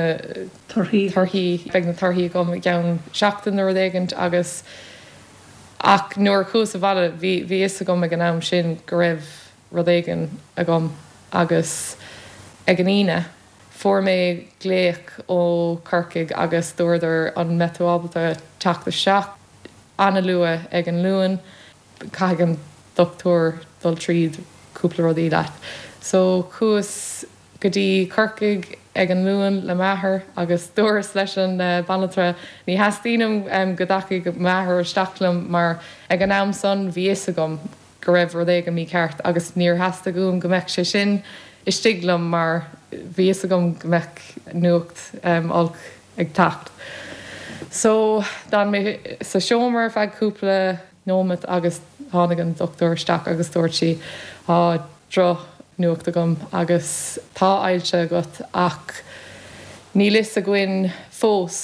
torthaí torthaí beidh na torthaí agam i gceann seachtain nó rud éigint agus ach nuair a chuas abhaile bhí bhí fhios agam ag an am sin go raibh rud éigin agam agus ag an Aoine fuair mé glaoch ó Corcaigh agus dúradar an mbeidh tú ábalta teacht isteach an-luath ag an Luan caithfidh an dochtúir dul tríd cúpla rudaí leat so chuas go dtí Corcaigh ag an Luan le m'athair agus dúras leis an banaltra ní theastaíonn uaim go dtacaidh m'athair isteach liom mar ag an am san bhí fhios agam go raibh rud éigin mícheart agus níor theastaigh uaim go mbeadh sé sin istigh liom mar bhí fhios agam go mbeadh nuacht olc ag teacht. So d'fhan mé sa seomra ar feadh cúpla nóimeat agus tháinig an dochtúir isteach agus dúirt sí, Tá droch-nuacht agam agus tá ailse agat ach níl fhios againn fós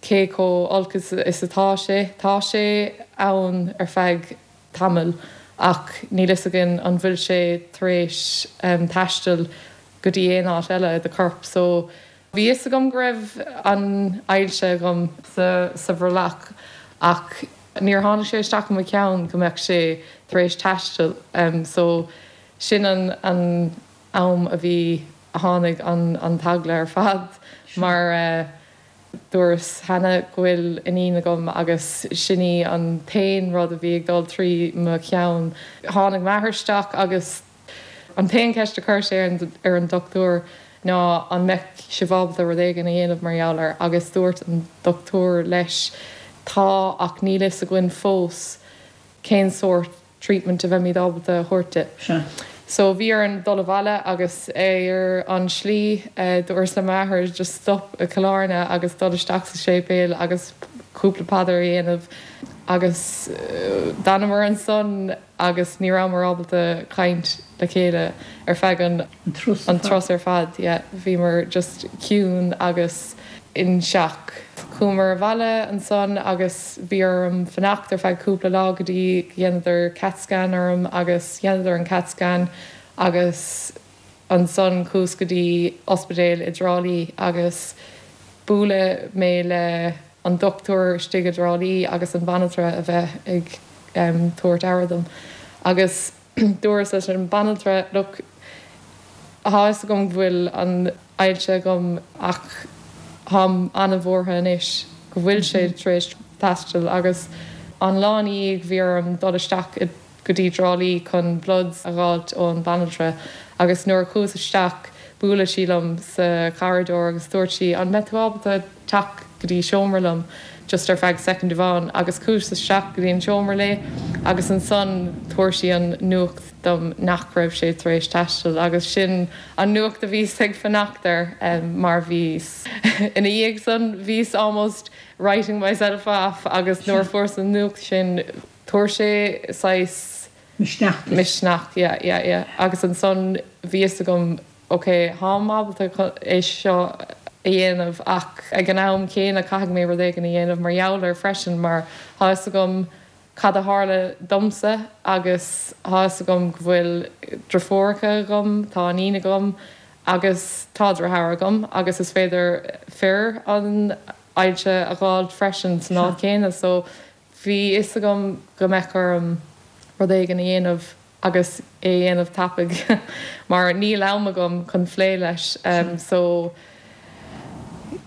cé chomh olc is atá sé. Tá sé ann ar feadh tamaill ach níl fhios againn an bhfuil sé tar éis taisteal go dtí aon áit eile i do chorp. So Bhí fhios agam go raibh an ailse agam sa bhrollach ach níor tháinig sé isteach i mo cheann go mbeadh sé tar éis taisteal so sin an an am a bhí a tháinig an an t-eagla ar fad mar dúras cheana go bhfuil iníon agam agus sin í an t-aon rud a bhí ag dul trí mo cheann. Tháinig m'athair isteach agus An t-aon cheist a chuir sé ar an dochtúir ná an mbeadh sibh ábalta rud éigin a dhéanamh mar gheall air agus dúirt an dochtúir leis tá ach níl fhios againn fós cén sórt treatment a bheimid ábalta a thabhairt di. Sea. So bhí orainn dul abhaile agus ar an slí dúras le m'athair just stop i Cill Airne agus dul isteach sa séipéal agus cúpla paidir a dhéanamh agus d'fhanamar ansan agus ní rabhamar ábalta caint le chéile ar feadh an An turas ar fad, yeah. Bhíomar just ciúin agus in shock. Chuamar abhaile ansan agus bhí orm fanacht ar feadh cúpla lá go dtí go dheineadar cat scan orm agus dheineadar an cat scan agus ansan chuas go dtí ospidéal i dTrá Lí agus buaileadh mé le an dochtúir istigh i dTrá Lí agus an bhanaltra a bheith ag tabhairt aire dom agus dúras leis an banaltra look tá fhios agam go bhfuil an ailse agam ach táim an-bhuartha anois go bhfuil sé tar éis taisteal agus an lá ina dhiaidh bhí orm dul isteach i go dtí dTrá Lí chun bloods a dh'fháilt ón banaltra agus nuair a chuas isteach buaileadh sí liom sa corridor agus dúirt sí an mbeidh tú ábalta teacht go dtí seomra liom just ar feadh soicind amháin agus chuas isteach go dtí an seomra léi agus ansan dúirt sí an nuacht dom nach raibh sé tar éis taisteal agus sin an nuacht a bhíos ag fanacht air mar bhíos ina dhiaidh san bhíos almost writing myself off agus nuair a fuaireas an nuacht sin Tabhair sé saghas. Misneach duit. Misneach, yeah, yeah, yeah. Agus ansan bhí fhios agam, ok, tháim ábalta é seo a dhéanamh ach ag an am céanna caithfidh mé rud éigin a dhéanamh mar gheall air freisin mar tá fhios agam cad a tharla domsa agus tá fhios agam go bhfuil driofúracha agam, tá iníon agam. Agus tá deartháir agam agus is féidir fir an ailse a dh'fháilt freisin san áit chéanna so bhí fhios agam go mbeadh orm rud éigin a dhéanamh agus é a dhéanamh tapaidh mar níl am agam chun phlé leis so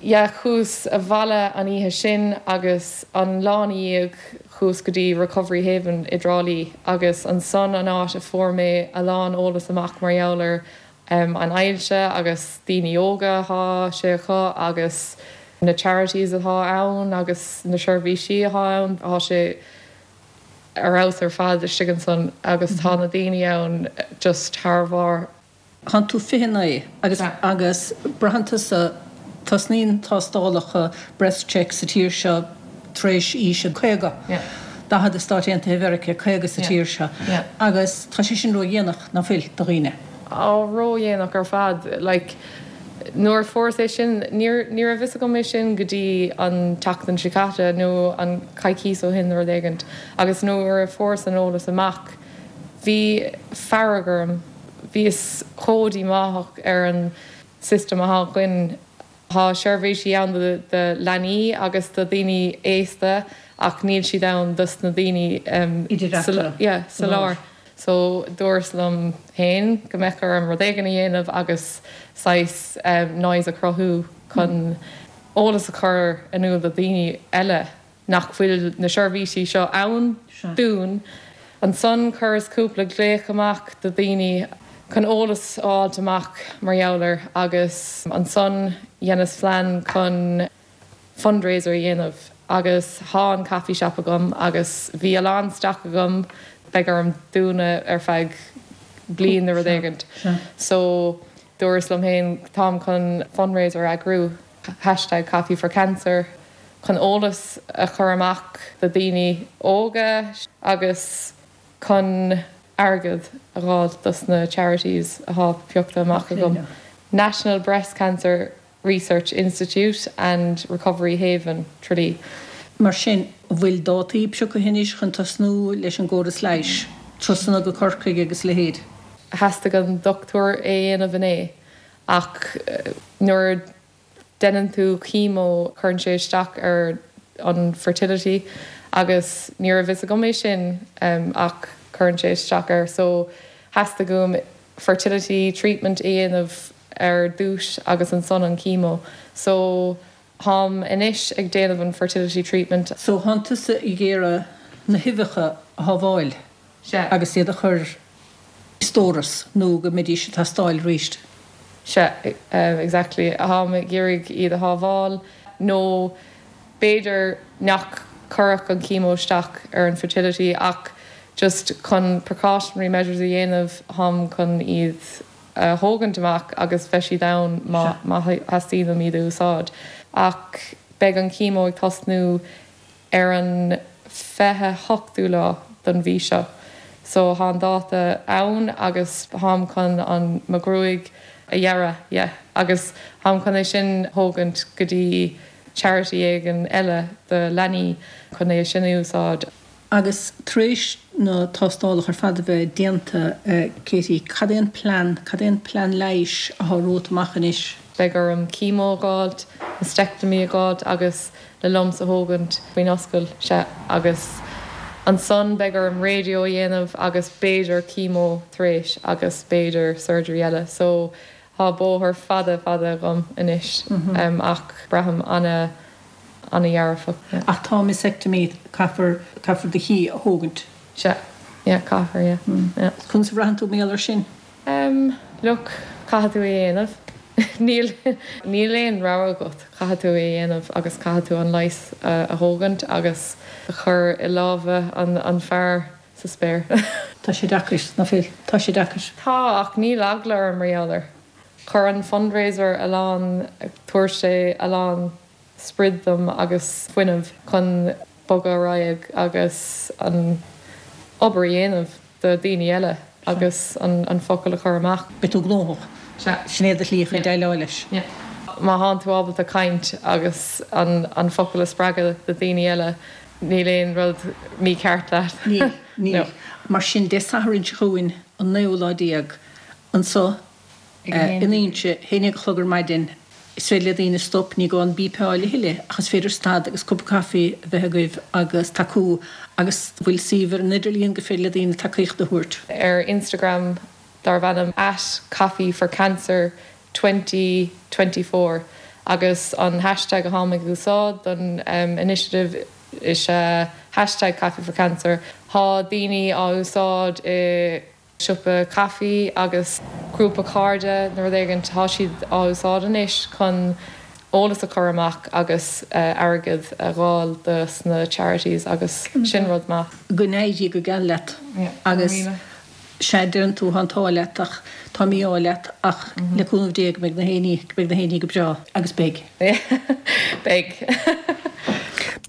yeah chuas abhaile an oíche sin agus an lá ina dhiaidh chuas go dtí Recovery Haven i dTrá Lí agus ansan an áit a fuair mé a lán eolas amach mar gheall ar an ailse agus daoine óga atá sé acu agus na charities atá ann agus na seirbhísí atá ann tá sé ar fheabhas ar fad istigh ansan agus tá na daoine ann just thar bharr. Tánn tú 29 agus agus braitheann tusa, tosnaíonn tástálacha breast check sa tír seo tar éis aois a 50, 40 i Stáit Aontaithe Mheiriceá, 50 sa tír seo agus tá sé sin ró-dhéanach, ná fuil, do dhaoine? Á, ró-dhéanach ar fad. Like, nuair a fuaireas é sin, níor, ní raibh fhios agam é sin go dtí an tseachtain seo caite nó an coicíos ó shin nó rud éigint agus nuair a fuaireas an eolas amach, bhí fearg orm, bhíos chomh díomách ar an system atá againn. Tá seirbhísí ann do leanaí agus do dhaoine aosta ach níl siad ann dos na daoine sa lár. So dúras liom féin go mbeadh orm rud éigin a dhéanamh agus saghas noise a chruthú chun eolas a chur in iúl do dhaoine eile. nach bhfuil na seirbhísí seo ann dúinn. Ansan chuireas cúpla glaoch amach do dhaoine chun eolas a fháilt amach mar gheall air agus ansan dheineas phlean chun fundraiser a dhéanamh agus thá an coffee shop agam agus bhí a lán stoc agam, beidh orm dúnadh ar feadh bliain nó rud éigint so dúras liom féin táim chun fundraiser a eagrú. hashtag Coffee for Cancer chun eolas a chur amach do daoine óga agus chun airgead a dh'fháilt dos na charities athá pioctha amach agam, National Breast Cancer Research Institute and Recovery Haven, Tralee. Mar sin, an bhfuil dátaí pioctha anois chun tosnú leis an gcóras leighis, turasanna go Corcaigh agus a leithéid? Theastaigh an dochtúir é a dhéanamh inné Ach nuair a deineann tú chemo cuireann sé isteach ar an fertility agus ní raibh fhios agam é sin ach cuireann sé isteach air so theastaigh uaim fertility treatment a dhéanamh ar dtús agus ansan an chemo so tháim anois ag déanamh an fertility treatment. So thánn tusa ag iarraidh na huibheacha a shábháil? Sea. Agus iad a chur i stóras nó go mbeidís ag teastáil arís. Sea, exactly. Táim ag iarraidh iad a shábháil nó b'fhéidir nach cuirfeadh an chemo isteach ar an fertility ach just chun precautionary measures a dhéanamh táim chun iad a thógaint amach agus bheidh siad ann má má theastaíonn uaim iad a úsáid. Ach beidh an chemo ag tosnú ar an 28ú lá don mhí seo. So thá an dáta ann agus tháim chun an mo ghruaig a ghearradh, yeah. Agus tháim chun é sin thógaint go dtí charity éigin eile do leanaí chun é sin a úsáid. Agus tar éis na tástálacha ar fad a bheith déanta, Katie, cad é an plean, cad é an plean leighis athá romhat amach anois? Beidh orm chemo a dh'fháilt, mastectomy a dh'fháilt agus na lumps a thógaint faoin ascaill, sea, agus ansan beidh orm radio a dhéanamh agus b'fhéidir chemo tar éis agus b'fhéidir surgery eile. So thá bóthar fada fada agam anois ach braithim ana ana-dhearfach, yeah. Ach tá mastectomy, caithfear, caithfear do chí a thógaint. Sea, yeah, caithfear, yeah, yeah. Conas a bhraitheann tú mar gheall air sin? Em, look, caithfidh tú é a dhéanamh. Níl, níl aon rogha agat, caithfidh tú é a dhéanamh agus caithfidh tú an leigheas a thógaint agus a chur i lámha an, an fear sa spéir. Tá sé deacair, ná fuil? Tá sé deacair. Tá, ach níl eagla orm mar gheall air. Chuir an fundraiser a lán, tabhair sé a lán sprid dom agus fuinneamh chun bogadh ar aghaidh agus an obair a dhéanamh do daoine eile agus an focal a chur amach. Beidh tú gnóthach. Sea. Sin é do shlí chun déileáil leis. Yeah. Má thánn tú ábalta caint agus an focal a spreagadh do daoine eile, níl aon rud mícheart leat. Níl, níl. Mar sin, Dé Sathairn seo chugainn, an naoú lá déag, anseo. In Inse, 11 a chlog ar maidin. Is féidir le daoine stop, ní gá an bípeáil a thuilleadh ach is féidir stad agus cupa caife a bheith agaibh agus tacú agus bhfuil suíomh ar an idirlíon gur féidir le daoine tacaíocht a thabhairt. Ar Instagram darb ainm at coffee for cancer 2024 agus an hashtag atáim ag úsáid don initiative is ea hashtag coffee for cancer. Tá daoine á úsáid i. siopa caife agus grúpa cairde nó rud éigin, tá siad á úsáid anois chun eolas a chur amach agus airgead a dh'fháil do sna charities agus sin rud maith. Go n-éirí go geal leat agus sea, deireann tú, tá an t-ádh leat ach tá mí-ádh leat ach le cúnamh Dé go mbeidh na héinní, go mbeidh na héinní go breá agus beidh. Beidh.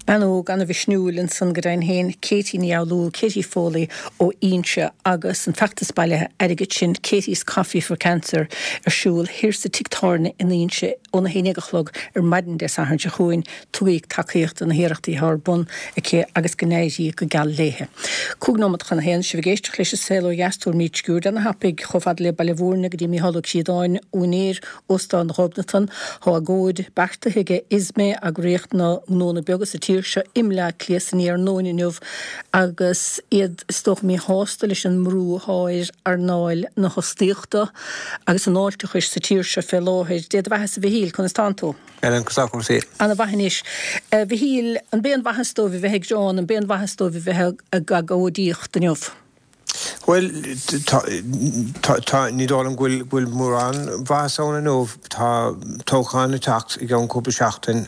Bean óg ana-mhisniúil ansan go deimhin féin, Katie Ní Fhoghlú, Katie Foley ó Inse agus an feachtas bailithe airgid sin Katie's Coffee for Cancer ar siúl thiar sa tigh tábhairne in Inse óna haon déag a chlog ar maidin Dé Sathairn seo chugainn. Tugaigí tacaíocht do na hiarrachtaí atá ar bun aici agus go n-éirí go geal léithe. 5 nóimeat chun a haon, sibh ag éisteacht leis An Saol Ó Dheas, tabharfaimid sciuird ana-thapaidh chomh fada le Baile Mhúirne go dtí Micheál Ó Críodáin, úinéir Óstán Ghobnatan. Tá agóid beartaithe aige ISME, eagraíocht na ngnónna beaga sa tír seo, i mBleá Cliath san iarnóin inniu agus iad is dócha míshásta leis an mbrú atá ar earnáil na hostaíochta agus an fháilteachais sa tír seo fé láthair. Dé do bheathasa a Mhichíl, conas tánn tú? Helen, conas tá cúrsaí? Ana mhaith anois. A Mhichíl, an b'é an mhaitheas dóibh a bheith ag gearán, an b'é an mhaitheas dóibh a bheith ag agóidíocht inniu? Bhuel, tá, tá, ní dóigh liom go bhfuil, go bhfuil mórán mhaitheas ann inniu. Tá toghchán ag teacht i gceann cúpla seachtain.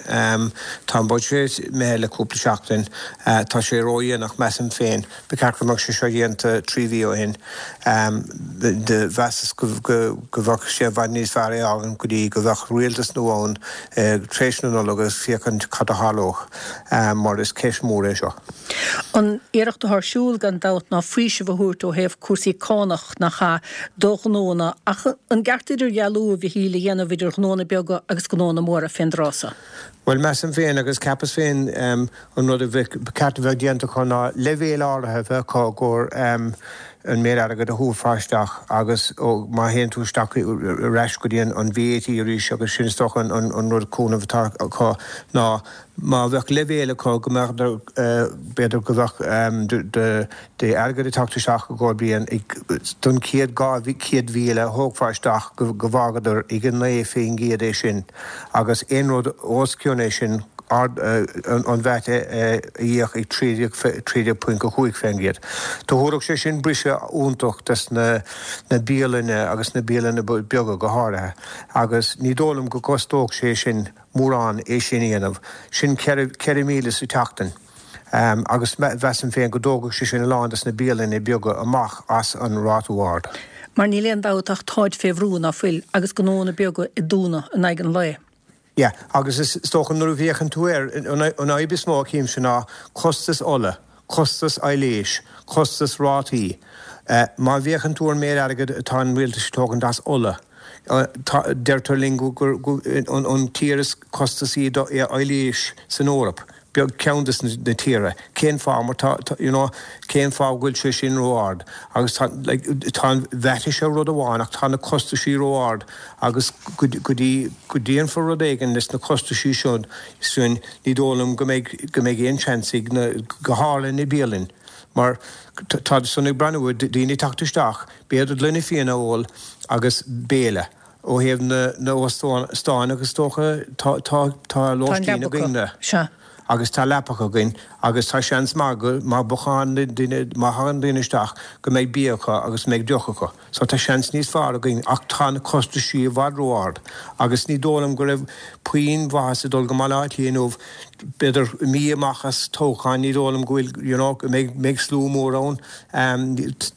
Tá an buiséad imithe le cúpla seachtain. Tá sé ródhéanach, measaim féin. Ba cheart go mbeadh sé seo déanta 3 mhí ó shin. Mheasas go, go, go bheadh sé i bhfad níos fearr é a fhágaint go dtí go bheadh rialtas nua ann tar éis na Nollag agus féachaint cad a tharlódh, mar is ceist mhór é seo. An iarracht atá ar siúl, gan dabht, ná faoiseamh a thabhairt ó thaobh cúrsaí cánach, nach ea, do ghnónna. Ach an gceart idirdhealú, a Mhichíl, a dhéanamh idir ghnónna beaga agus gnónna móra fén dtráth so? Bhuel, measaim féin, agus cheapas féin, an rud a bheadh, ba cheart a bheith déanta acu ná leibhéal áirithe a bheith acu i gcomhair an méid airgid a thabharfá isteach agus má théann tú isteach ar ais go dtí an VAT arís agus sin is dócha an rud cúnamh atá acu ná Má bheadh leibhéal acu go mbeadh, b'fhéidir go mbeadh d'airgead ag teacht isteach i gcomhair bliain don chéad 200,000 a thógfá isteach go bhfágadar ag 9% é sin agus aon rud os cionn é sin an VAT a íoc ag 13.5%. Do thabharfadh sé sin briseadh iontach dos na bialanna agus na bialanna beaga go háirithe agus ní dóigh liom go gcostódh sé sin mórán é sin a dhéanamh. Sin 4,000 sa tseachtain. Agus mheasaim féin go dtógfadh sé sin a lán des na bialanna beaga amach as an rátú ard. Mar níl aon dabht ach táid fé bhrú, ná fuil, agus gnónna beaga ag dúnadh in aghaidh an lae. Yeah, agus is dócha nuair a bhféachann tú air, an fhadhb is mó a chímse ná costas ola, costas aibhléis, costas rátaí. Má bhféachann tú ar an méid airgid atá an rialtas ag tógaint as ola, deirtear linn gur an tír is costasaí d'aibhléis san Eoraip, beag ceann de na tíortha. Cén fáth? Mar tá, you know, cén fáth go bhfuil sé sin ró-ard? Agus tá, like, tá an VAT seo rud amháin ach tá na costaisí ró-ard agus go dtí go déanfar rud éigin leis na costaisí seo sin ní dóigh liom go mbeidh, go mbeidh aon seans ag na, go háirithe na bialainn mar tá san ag breathnú ar daoine ag teacht isteach, b'fhéidir gloine fíona a ól agus béile. Ó thaobh na n-óstán agus is dócha tá, tá, tá lóistín againn agus tá leapacha againn agus tá seans maith go, má bhocánn duine, má thagann daoine isteach go mbeidh bia acu agus go mbeidh deoch acu. So tá seans níos fearr againn ach tá na costaisí i bhfad ró-ard agus ní dóigh liom go raibh puinn mhaitheas ag dul go Baile Átha Cliath inniu, b'fhéidir mí amach as toghchán, ní dóigh liom go bhfuil, you know, go mbeidh, mbeidh slua mór ann.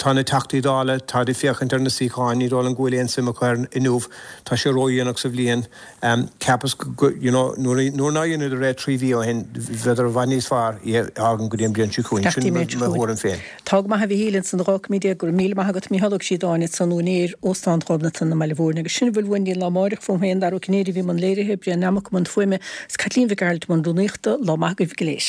Tá na Teachtaí Dála, táid ag féachaint ar na suíocháin, ní dóigh liom go bhfuil aon suim acu air inniu, tá sé ródhéanach sa bhliain. Cheapas go, you know, nuair nár dheineadar é 3 mhí ó shin, bheadar i bhfad níos fearr é a fhágaint go dtí an bhliain seo chugainn. Sin mo thuairim féin. Tá go maith a Mhichíl ansan 12 cúig go raibh míle maith agat Mícheál Ó Críodáin ansan úinéir Óstán Ghobnatan i mBaile Mhúirne agus sin a bhfuil uainn go dtí an lá amáireach fúm féin Dara Ó Cinnéide a bhí i mbun léirithe, Brian Nammock i mbun fuaime agus Caitlín Mhic Gearailt i mbun rúnaíochta. Lá maith agaibh go léir.